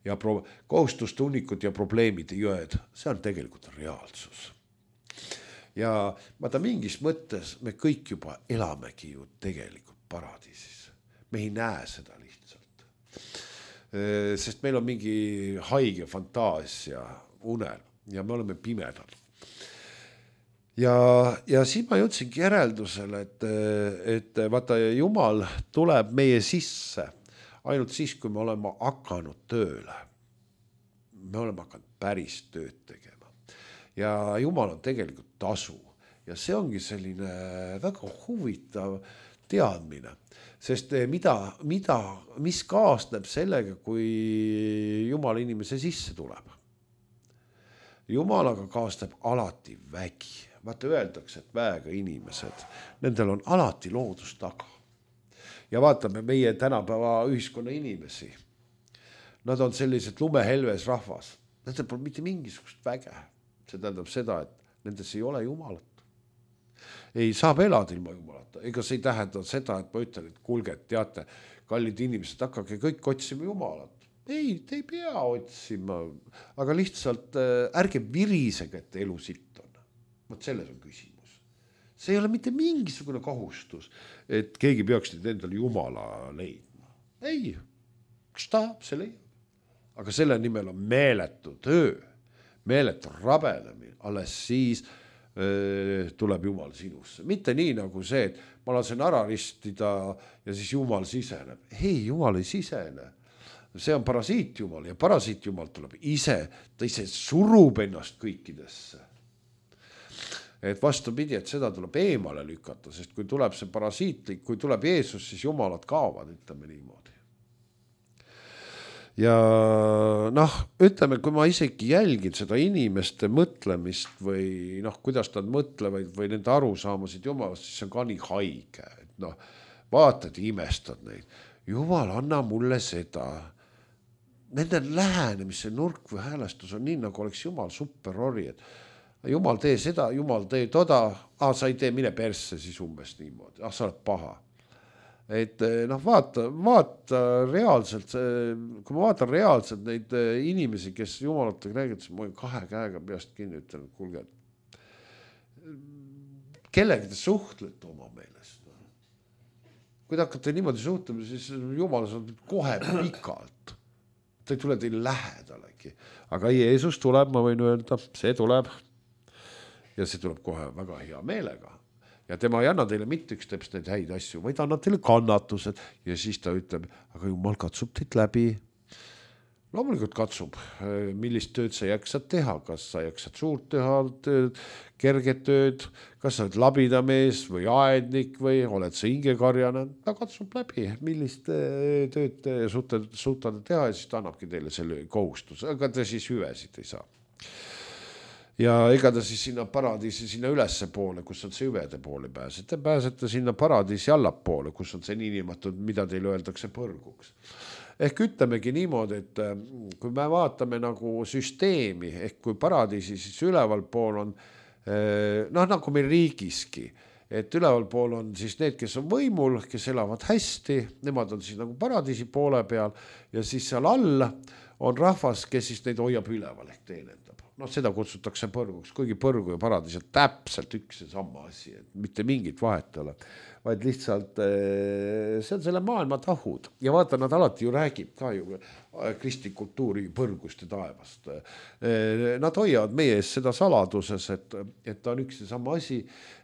Ja kohustuste hunnikud ja probleemide jõed, see on tegelikult reaalsus. Ja vaata, mingis mõttes me kõik juba elamegi ju tegelikult paradiisis. Me ei näe seda lihtsalt. Sest meil on mingi haige fantaasia unel ja me oleme pimedal. Ja siis ma jõudsingi järeldusele, et vaata, Jumal tuleb meie sisse ainult siis, kui me oleme hakanud tööle. Me oleme hakanud päris tööd tegema. Ja Jumal on tegelikult tasu. Ja see ongi selline väga huvitav teadmine. Sest mis kaasneb sellega, kui Jumal inimese sisse tuleb? Jumalaga kaasneb alati vägi. Vaata, öeldakse, et väega inimesed, nendel on alati loodus taga. Ja vaatame meie tänapäeva ühiskonna inimesi. Nad on sellised lumehelves rahvas. Nendel pole mitte mingisugust väge. See tähendab seda, et nendes ei ole Jumalat. Ei saab elada ilma Jumalata. Ega see ei tähenda seda, et ma ütlen, et kuulge, teate, kallid inimesed, hakkage kõik otsima Jumalat. Ei, te ei pea otsima, aga lihtsalt ärge virisege, et elu sitt on. Võt selles on küsimus. See ei ole mitte mingisugune kohustus, et keegi peaks nüüd endale Jumala leidma. Ei, kes tahab, see leiab. Aga selle nimel on meeletu töö, meeletu rabelemine, alles siis tuleb Jumal sinusse. Mitte nii nagu see, et ma lasen ära ristida ja siis Jumal siseneb. Ei, Jumal ei sisene. See on parasiit Jumal ja parasiit Jumal tuleb ise, ta ise surub ennast kõikidesse. Et vastupidi, et seda tuleb eemale lükata, sest kui tuleb see parasiitlik, kui tuleb Jeesus, siis Jumalad kaovad, ütleme niimoodi. Ja ütleme, kui ma isegi jälgin seda inimeste mõtlemist või kuidas nad mõtlevad või nende arusaamasid Jumalast, siis see on ka nii haige. Et vaatad, imestad neid. Jumal, anna mulle seda. Nende lähenemise nurk või häälestus on nii, nagu oleks Jumal superori, et Jumal tee seda, Jumal tee toda, sa ei tee, mine persse siis umbes niimoodi, sa oled paha. Et vaata reaalselt, kui ma vaatan reaalselt neid inimesi, kes Jumalatega räägid, siis ma olen 2 käega peast kinni ütlen, et kuulge, kellega te suhtlete oma meelest? Kui te hakkate niimoodi suhtlema, siis Jumal saab kohe pikalt. Ta ei tule teile lähedalegi. Aga Jeesus tuleb, ma võin öelda, see tuleb. Ja see tuleb kohe väga hea meelega. Ja tema ei anna teile mitte üks teps neid häid asju, vaid annab teile kannatused. Ja siis ta ütleb, aga Jumal katsub teid läbi. Loomulikult katsub, millist tööd sa jaksad teha. Kas sa jaksad suurt teha, kerget tööd, kas sa oled labidamees või aednik või oled sa hingekarjane. Ta katsub läbi, millist tööd suutate teha ja siis ta annabki teile selle kohustus. Aga te siis hüvesid ei saa. Ja ega ta siis sinna paradiisi sinna ülesse poole, kus on see hüvede poole pääsete. Pääsete sinna paradiisi allapoole, kus on see niinimatud, mida teile öeldakse põrguks. Ehk ütlemegi niimoodi, et kui me vaatame nagu süsteemi, ehk kui paradiisi siis üleval pool on, nagu meil riigiski, et ülevalpool on siis need, kes on võimul, kes elavad hästi, nemad on siis nagu paradiisi poole peal ja siis seal all on rahvas, kes siis neid hoiab üleval ehk teenendab. No seda kutsutakse põrguks, kuigi põrgu ja paradiis on täpselt üks ja sama asi, et mitte mingit vahet ole, vaid lihtsalt see on selle maailma tahud ja vaata, nad alati ju räägib ka ju kristlik kultuuri põrgust ja taevast. Nad hoiavad meie ees seda saladuses, et ta on üks ja sama asi,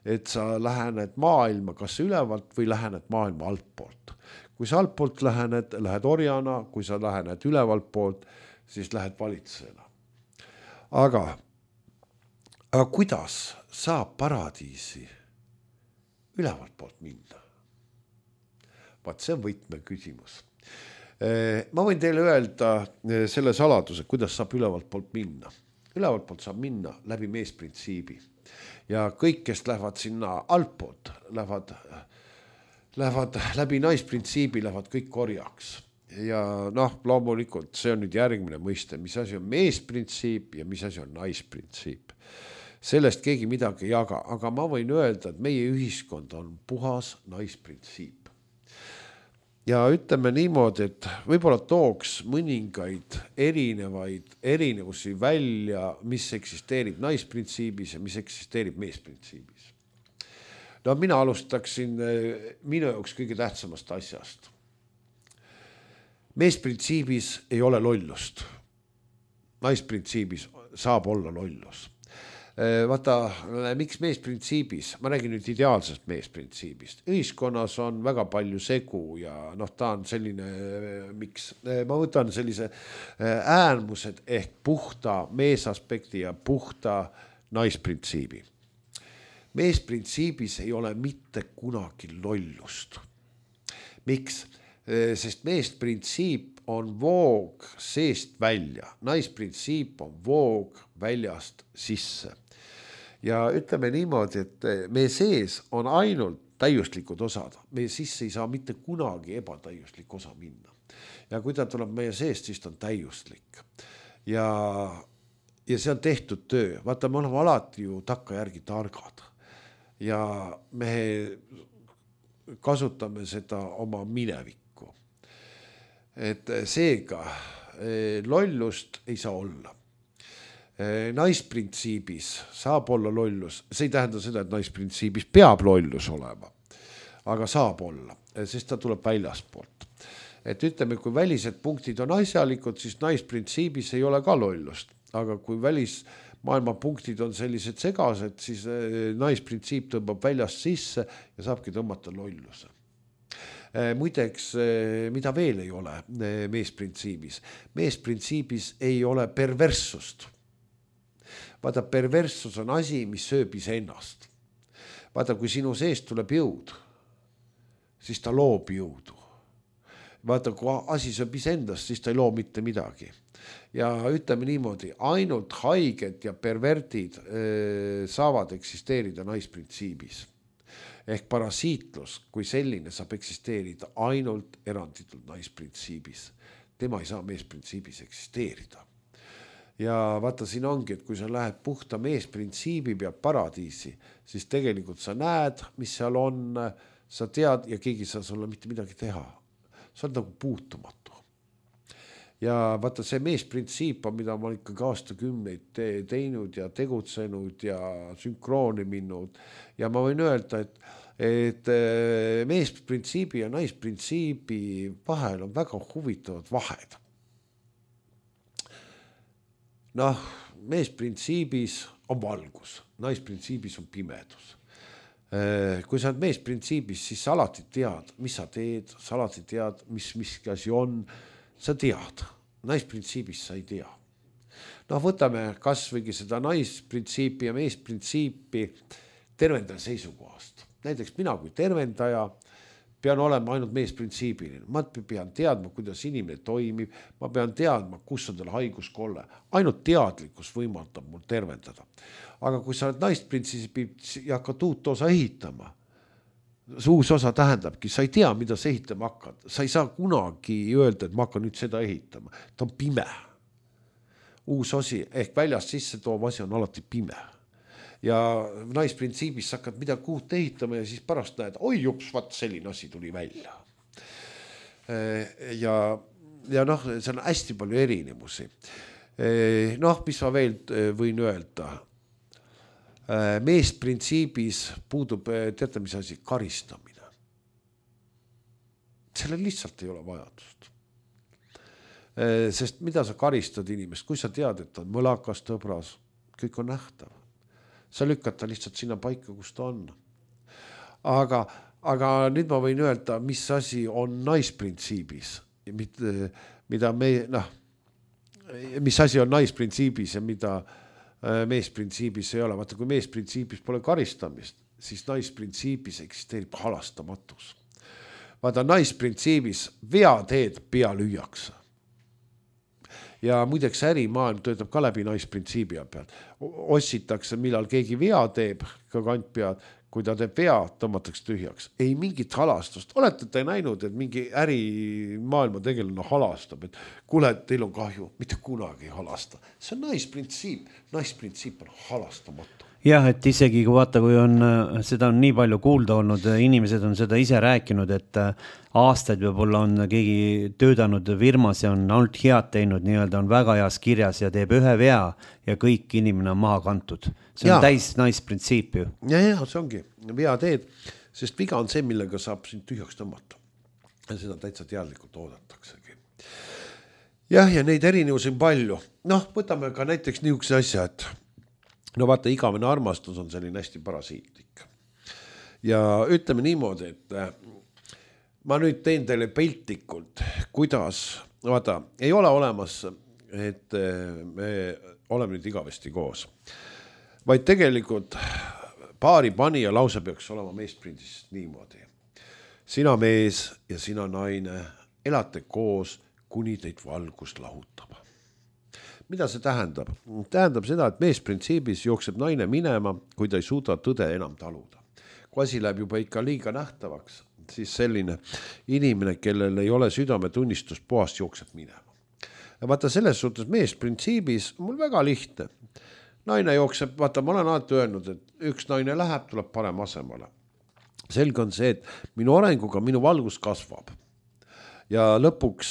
et sa lähened maailma kas ülevalt või lähened maailma altpoolt. Kui sa altpoolt lähened orjana, kui sa lähened ülevalt poolt, siis lähed valitsejana. Aga kuidas saab paradiisi ülevalt poolt minna? Vaat see on võtme küsimus. Ma võin teile öelda selle saladuse, kuidas saab ülevalt poolt minna. Ülevalt poolt saab minna läbi meesprintsiibi. Ja kõik, kes lähevad sinna altpoolt, lähevad läbi naisprintsiibi, lähevad kõik korjaks. Ja loomulikult see on nüüd järgmine mõiste, mis asi on meesprintsiip ja mis asi on naisprintsiip. Sellest keegi midagi ei jaga, aga ma võin öelda, et meie ühiskond on puhas naisprintsiip. Ja ütleme niimoodi, et võib-olla tooks mõningaid erinevusi välja, mis eksisteerib naisprintsiibis ja mis eksisteerib meesprintsiibis. Mina alustaksin minu jaoks kõige tähtsamast asjast. Meesprintsiibis ei ole lollust. Naisprintsiibis saab olla lollus. Vaata, miks meesprintsiibis? Ma räägin nüüd ideaalsest meesprintsiibist. Ühiskonnas on väga palju segu ja ta on selline, miks? Ma võtan sellise äärmused ehk puhta meesaspekti ja puhta naisprintsiibi. Meesprintsiibis ei ole mitte kunagi lollust. Miks? Sest meesprintsiip on voog seest välja, naisprintsiip on voog väljast sisse. Ja ütleme niimoodi, et meie sees on ainult täiuslikud osad, meie sisse ei saa mitte kunagi ebatäiuslik osa minna. Ja kui ta tuleb meie seest, siis ta on täiuslik. Ja see on tehtud töö, vaata, me oleme alati ju takka järgi targad ja me kasutame seda oma minevikku. Et seega lollust ei saa olla. Naisprintsiibis saab olla lollus, see ei tähenda seda, et naisprintsiibis peab lollus olema, aga saab olla, sest ta tuleb väljaspoolt. Et ütleme, kui välised punktid on asjalikud, siis naisprintsiibis ei ole ka lollust, aga kui välismaailma punktid on sellised segased, siis naisprintsiip tõmbab väljast sisse ja saabki tõmmata lolluse. Muideks, mida veel ei ole meesprintsiibis? Meesprintsiibis ei ole perverssust. Vaata, perverssus on asi, mis sööb iseennast. Vaata, kui sinu seest tuleb jõud, siis ta loob jõudu. Vaata, kui asi sööb iseendast, siis ta ei loo mitte midagi. Ja ütleme niimoodi, ainult haiged ja pervertid saavad eksisteerida naisprintsiibis. Ehk parasiitlus kui selline saab eksisteerida ainult eranditult naisprintsiibis. Tema ei saa meesprintsiibis eksisteerida. Ja vaata, siin ongi, et kui sa lähed puhta meesprintsiibi pealt paradiisi, siis tegelikult sa näed, mis seal on, sa tead ja keegi ei saa sulle mitte midagi teha. Sa oled nagu puutumatu. Ja vaata, see meesprintsiip on, mida ma ikkagi aastakümneid teinud ja tegutsenud ja sünkrooni minnud. Ja ma võin öelda, et meesprintsiibi ja naisprintsiibi vahel on väga huvitavad vahed. Meesprintsiibis on valgus, naisprintsiibis on pimedus. Kui sa oled meesprintsiibis, siis sa alati tead, mis sa teed, sa alati tead, mis asi on, sa tead, naisprintsiibis sa ei tea. Võtame kas võigi seda naisprintsiipi ja meesprintsiipi tervendaja seisukohast. Näiteks mina kui tervendaja pean olema ainult meesprintsiibiline. Ma pean teadma, kuidas inimene toimib, ma pean teadma, kus on tal haiguskolle. Ainult teadlikkus võimaldab mul tervendada. Aga kui sa oled naisprintsiibi ja hakkad uut osa ehitama, see uus osa tähendabki, sa ei tea, mida sa ehitama hakkad. Sa ei saa kunagi öelda, et ma hakkan nüüd seda ehitama. Ta on pime. Uus osi ehk väljast sisse toov asi on alati pime. ja naisprintsiibis sa hakkad midagi uut ehitama ja siis pärast näed, oi jups, vaat selline asi tuli välja. Ja noh, see on hästi palju erinevusi. Noh, mis ma veel võin öelda. Meesprintsiibis puudub, teate mis asi, karistamine. Sellel lihtsalt ei ole vajadust. Sest mida sa karistad inimest, kui sa tead, et ta on mõlakas, tõbras, kõik on nähtav. Sa lükkad ta lihtsalt sinna paika, kus ta on. Aga nüüd ma võin öelda, mis asi on naisprintsiibis, mida me, noh, mis asi on naisprintsiibis ja mida meesprintsiibis ei ole. Vaata, kui meesprintsiibis pole karistamist, siis naisprintsiibis eksisteerib halastamatus. Vaata, naisprintsiibis vea teed pea lüüakse. Ja muideks ärimaailm töötab ka läbi naisprintsiibi pealt. Ossitakse, millal keegi vea teeb, ka kant pead, kui ta teeb vea, tõmmatakse tühjaks. Ei mingit halastust. Olete te näinud, et mingi ärimaailma tegelane halastab, et kuule, teil on kahju, mitte kunagi halasta. See on naisprintsiip. Naisprintsiip on halastamatu. Jah, et isegi kui vaata, kui on, seda on nii palju kuulda olnud, inimesed on seda ise rääkinud, et aastaid võib-olla on keegi töötanud firmas ja on ainult head teinud, nii-öelda on väga heas kirjas ja teeb ühe vea ja kõik inimene on maha kantud. See on täis naisprintsiip ju. Ja, see ongi vea teed, sest viga on see, millega saab sind tühjaks tõmmata. Ja seda täitsa teadlikult oodataksegi. Jah, ja neid erinevusi on palju. Noh, võtame ka näiteks niisuguse asja, et no vaata, igavene armastus on selline hästi parasiitlik. Ja ütleme niimoodi, et ma nüüd teen teile piltlikult, kuidas, vaata, ei ole olemas, et me oleme nüüd igavesti koos. Vaid tegelikult paari panija lause peaks olema meesprindist niimoodi. Sina mees ja sina naine elate koos, kuni teid valgus lahutab. Mida see tähendab? Tähendab seda, et meesprintsiibis jookseb naine minema, kui ta ei suuda tõde enam taluda. Kui asi läheb juba ikka liiga nähtavaks, siis selline inimene, kellel ei ole südametunnistus puhast, jookseb minema. Ja vaata, selles suhtes meesprintsiibis mul väga lihtne. Naine jookseb, vaata, ma olen alati öelnud, et üks naine läheb, tuleb parem asemale. Selge on see, et minu arenguga minu valgus kasvab. Ja lõpuks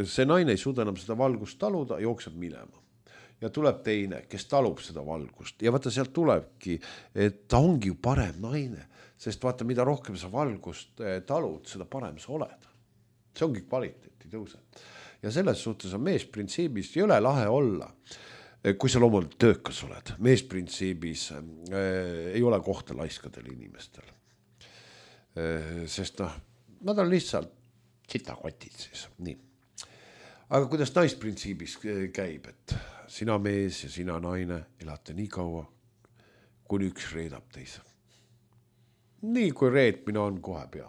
see naine ei suuda enam seda valgust taluda, jookseb minema. Ja tuleb teine, kes talub seda valgust. Ja vaata, sealt tulebki, et ta ongi ju parem naine, sest vaata, mida rohkem sa valgust talud, seda parem sa oled. See ongi kvaliteeti tõuse. Ja selles suhtes on meesprintsiibis ei ole lahe olla, kui sa loomulikult töökas oled. Meesprintsiibis ei ole kohta laiskadel inimestel. Sest nad on lihtsalt sitakotid siis. Nii. Aga kuidas naisprintsiibis käib, et sina mees ja sina naine elate nii kaua, kuni üks reedab teise. Nii kui reetmine on kohe pea.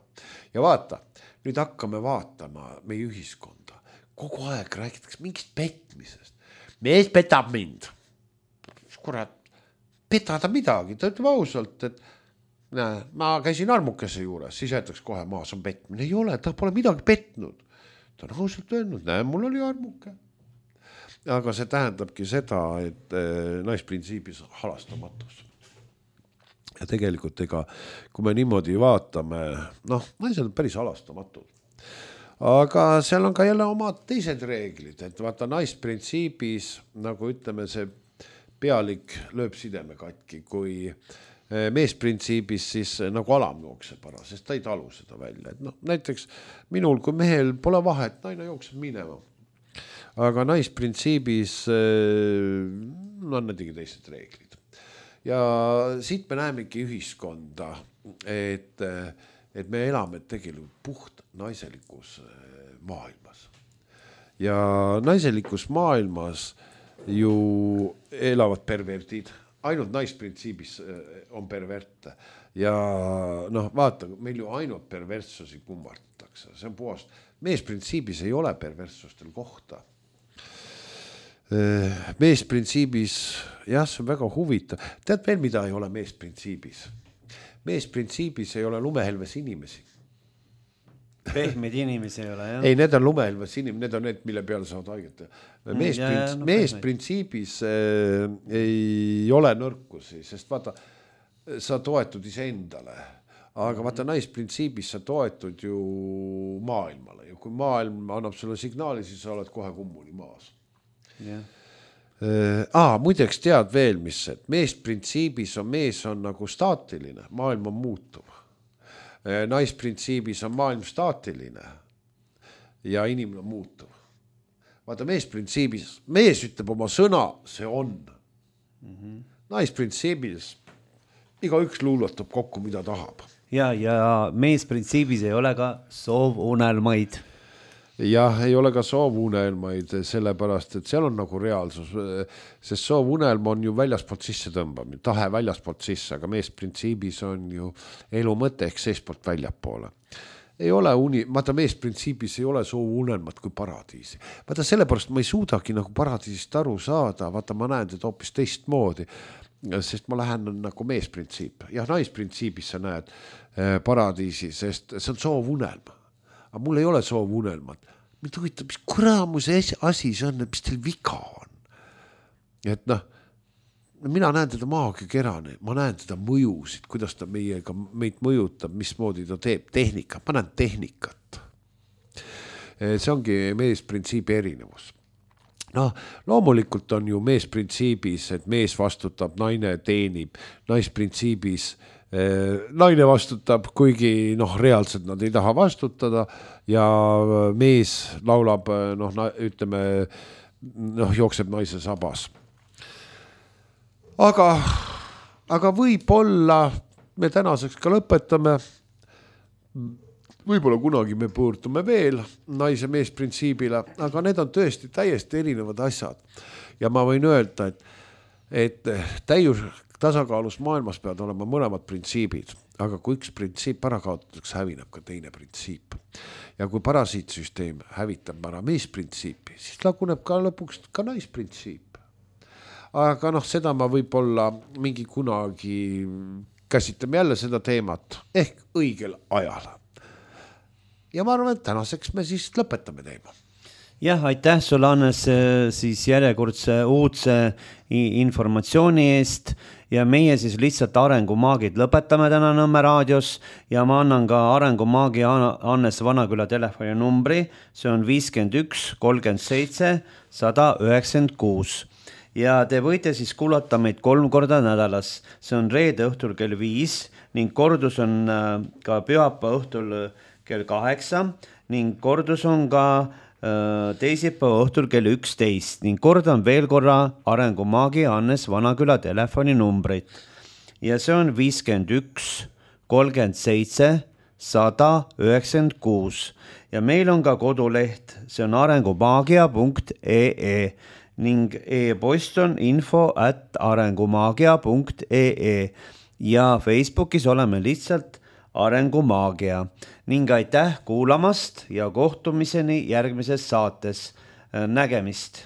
Ja vaata, nüüd hakkame vaatama meie ühiskonda. Kogu aeg räägitakse mingist petmisest. Mees petab mind. Kurat, petada midagi. Ta ütleb ausalt, et ma käisin armukese juures, siis jäetaks kohe maas on petmine. Ei ole, ta pole midagi petnud. Ta on ausalt öelnud, mul oli armuke. Aga see tähendabki seda, et naisprintsiibis on halastamatus. Ja tegelikult kui me niimoodi vaatame, naised on päris halastamatud. Aga seal on ka jälle omad teised reeglid, et vaata naisprintsiibis, nagu ütleme, see pealik lööb sideme katki, kui meesprintsiibis siis nagu alam jookseb ära, sest ta ei talu seda välja. Et näiteks minul kui mehel pole vahet, naine jookseb minema. Aga naisprintsiibis on näitegi teised reeglid. Ja siit me näemegi ühiskonda, et me elame tegelikult puht naiselikus maailmas. Ja naiselikus maailmas ju elavad perverdid. Ainult naisprintsiibis on perverte. Ja vaata, meil ju ainult perverssusi kummardatakse. See on puhast. Meesprintsiibis ei ole perverssustel kohta. Meesprintsiibis, jah, see on väga huvitav. Tead veel, mida ei ole meesprintsiibis? Meesprintsiibis ei ole lumehelves inimesi. pehmeid inimesi ei ole, jah? Ei, need on lumehelmes inimesed, need on need, mille peale saavad haiget. Mees printsiibis ei ole nõrkusi, sest vaata, sa toetud iseendale, aga vaata naisprintsiibis sa toetud ju maailmale ja kui maailm annab sulle signaali, siis sa oled kohe kummuni maas. Muideks tead veel, mis see, et mees printsiibis mees on nagu staatiline, maailm on muutuv. Naisprintsiibis on maailm staatiline ja inimene on muutuv. Vaata meesprintsiibis, mees ütleb oma sõna, see on. Naisprintsiibis iga üks luuletab kokku, mida tahab. Ja meesprintsiibis ei ole ka soovunelmaid. Jah, ei ole ka soovunelmaid, sellepärast, et seal on nagu reaalsus, sest soovunelm on ju väljaspoolt sisse tõmbamine, tahe väljaspoolt sisse, aga meesprintsiibis on ju elu mõte ehk seespoolt väljapoole. Ei ole vaata meesprintsiibis ei ole soovunelmat kui paradiisi. Vaata sellepärast ma ei suudagi nagu paradiisist aru saada, vaata ma näen teda hoopis teistmoodi, sest ma lähen nagu meesprintsiip. Ja naisprintsiibis sa näed paradiisi, sest see on soovunelm. Aga mul ei ole soovunelmat. Mind huvitab, mis kuramuse asi see on, mis teil viga on. Et mina näen teda maagiakerane, ma näen teda mõjusid, kuidas ta meid mõjutab, mismoodi ta teeb tehnikat, ma näen tehnikat. See ongi meesprintsiibi erinevus. Loomulikult on ju meesprintsiibis, et mees vastutab, naine teenib, naisprintsiibis naine vastutab, kuigi reaalselt nad ei taha vastutada ja mees laulab, jookseb naise sabas. Aga võib-olla me tänaseks ka lõpetame, võib-olla kunagi me pöördume veel naise meesprintsiibile, aga need on tõesti täiesti erinevad asjad ja ma võin öelda, et tasakaalus maailmas peavad olema mõlemad printsiibid, aga kui üks printsiip ära kaotatakse, hävineb ka teine printsiip. Ja kui parasiitsüsteem hävitab ära meesprintsiipi, siis laguneb ka lõpuks ka naisprintsiip. Aga seda ma võib-olla mingi kunagi käsitleme jälle seda teemat ehk õigel ajal. Ja ma arvan, et tänaseks me siis lõpetame teema. Jah, aitäh sulle, Hannes, siis järjekordse uudse informatsiooni eest ja meie siis lihtsalt Arengumaagid lõpetame täna Nõmme raadios ja ma annan ka Arengumaagi Hannes Vanaküla telefoni numbri, see on 51 37 196 ja te võite siis kuulata meid 3 korda nädalas, see on reede õhtul kell 5 ning kordus on ka pühapäeva õhtul kell 8 ning kordus on ka teisipäeva õhtul kell 11 ning kordan veel korra Arengumaagi Hannes Vanaküla telefoni numbrit ja see on 51 37 196 ja meil on ka koduleht, see on arengumaagia.ee ning e-post on info@arengumaagia.ee ja Facebookis oleme lihtsalt Arengumaagia ning aitäh kuulamast ja kohtumiseni järgmises saates. Nägemist!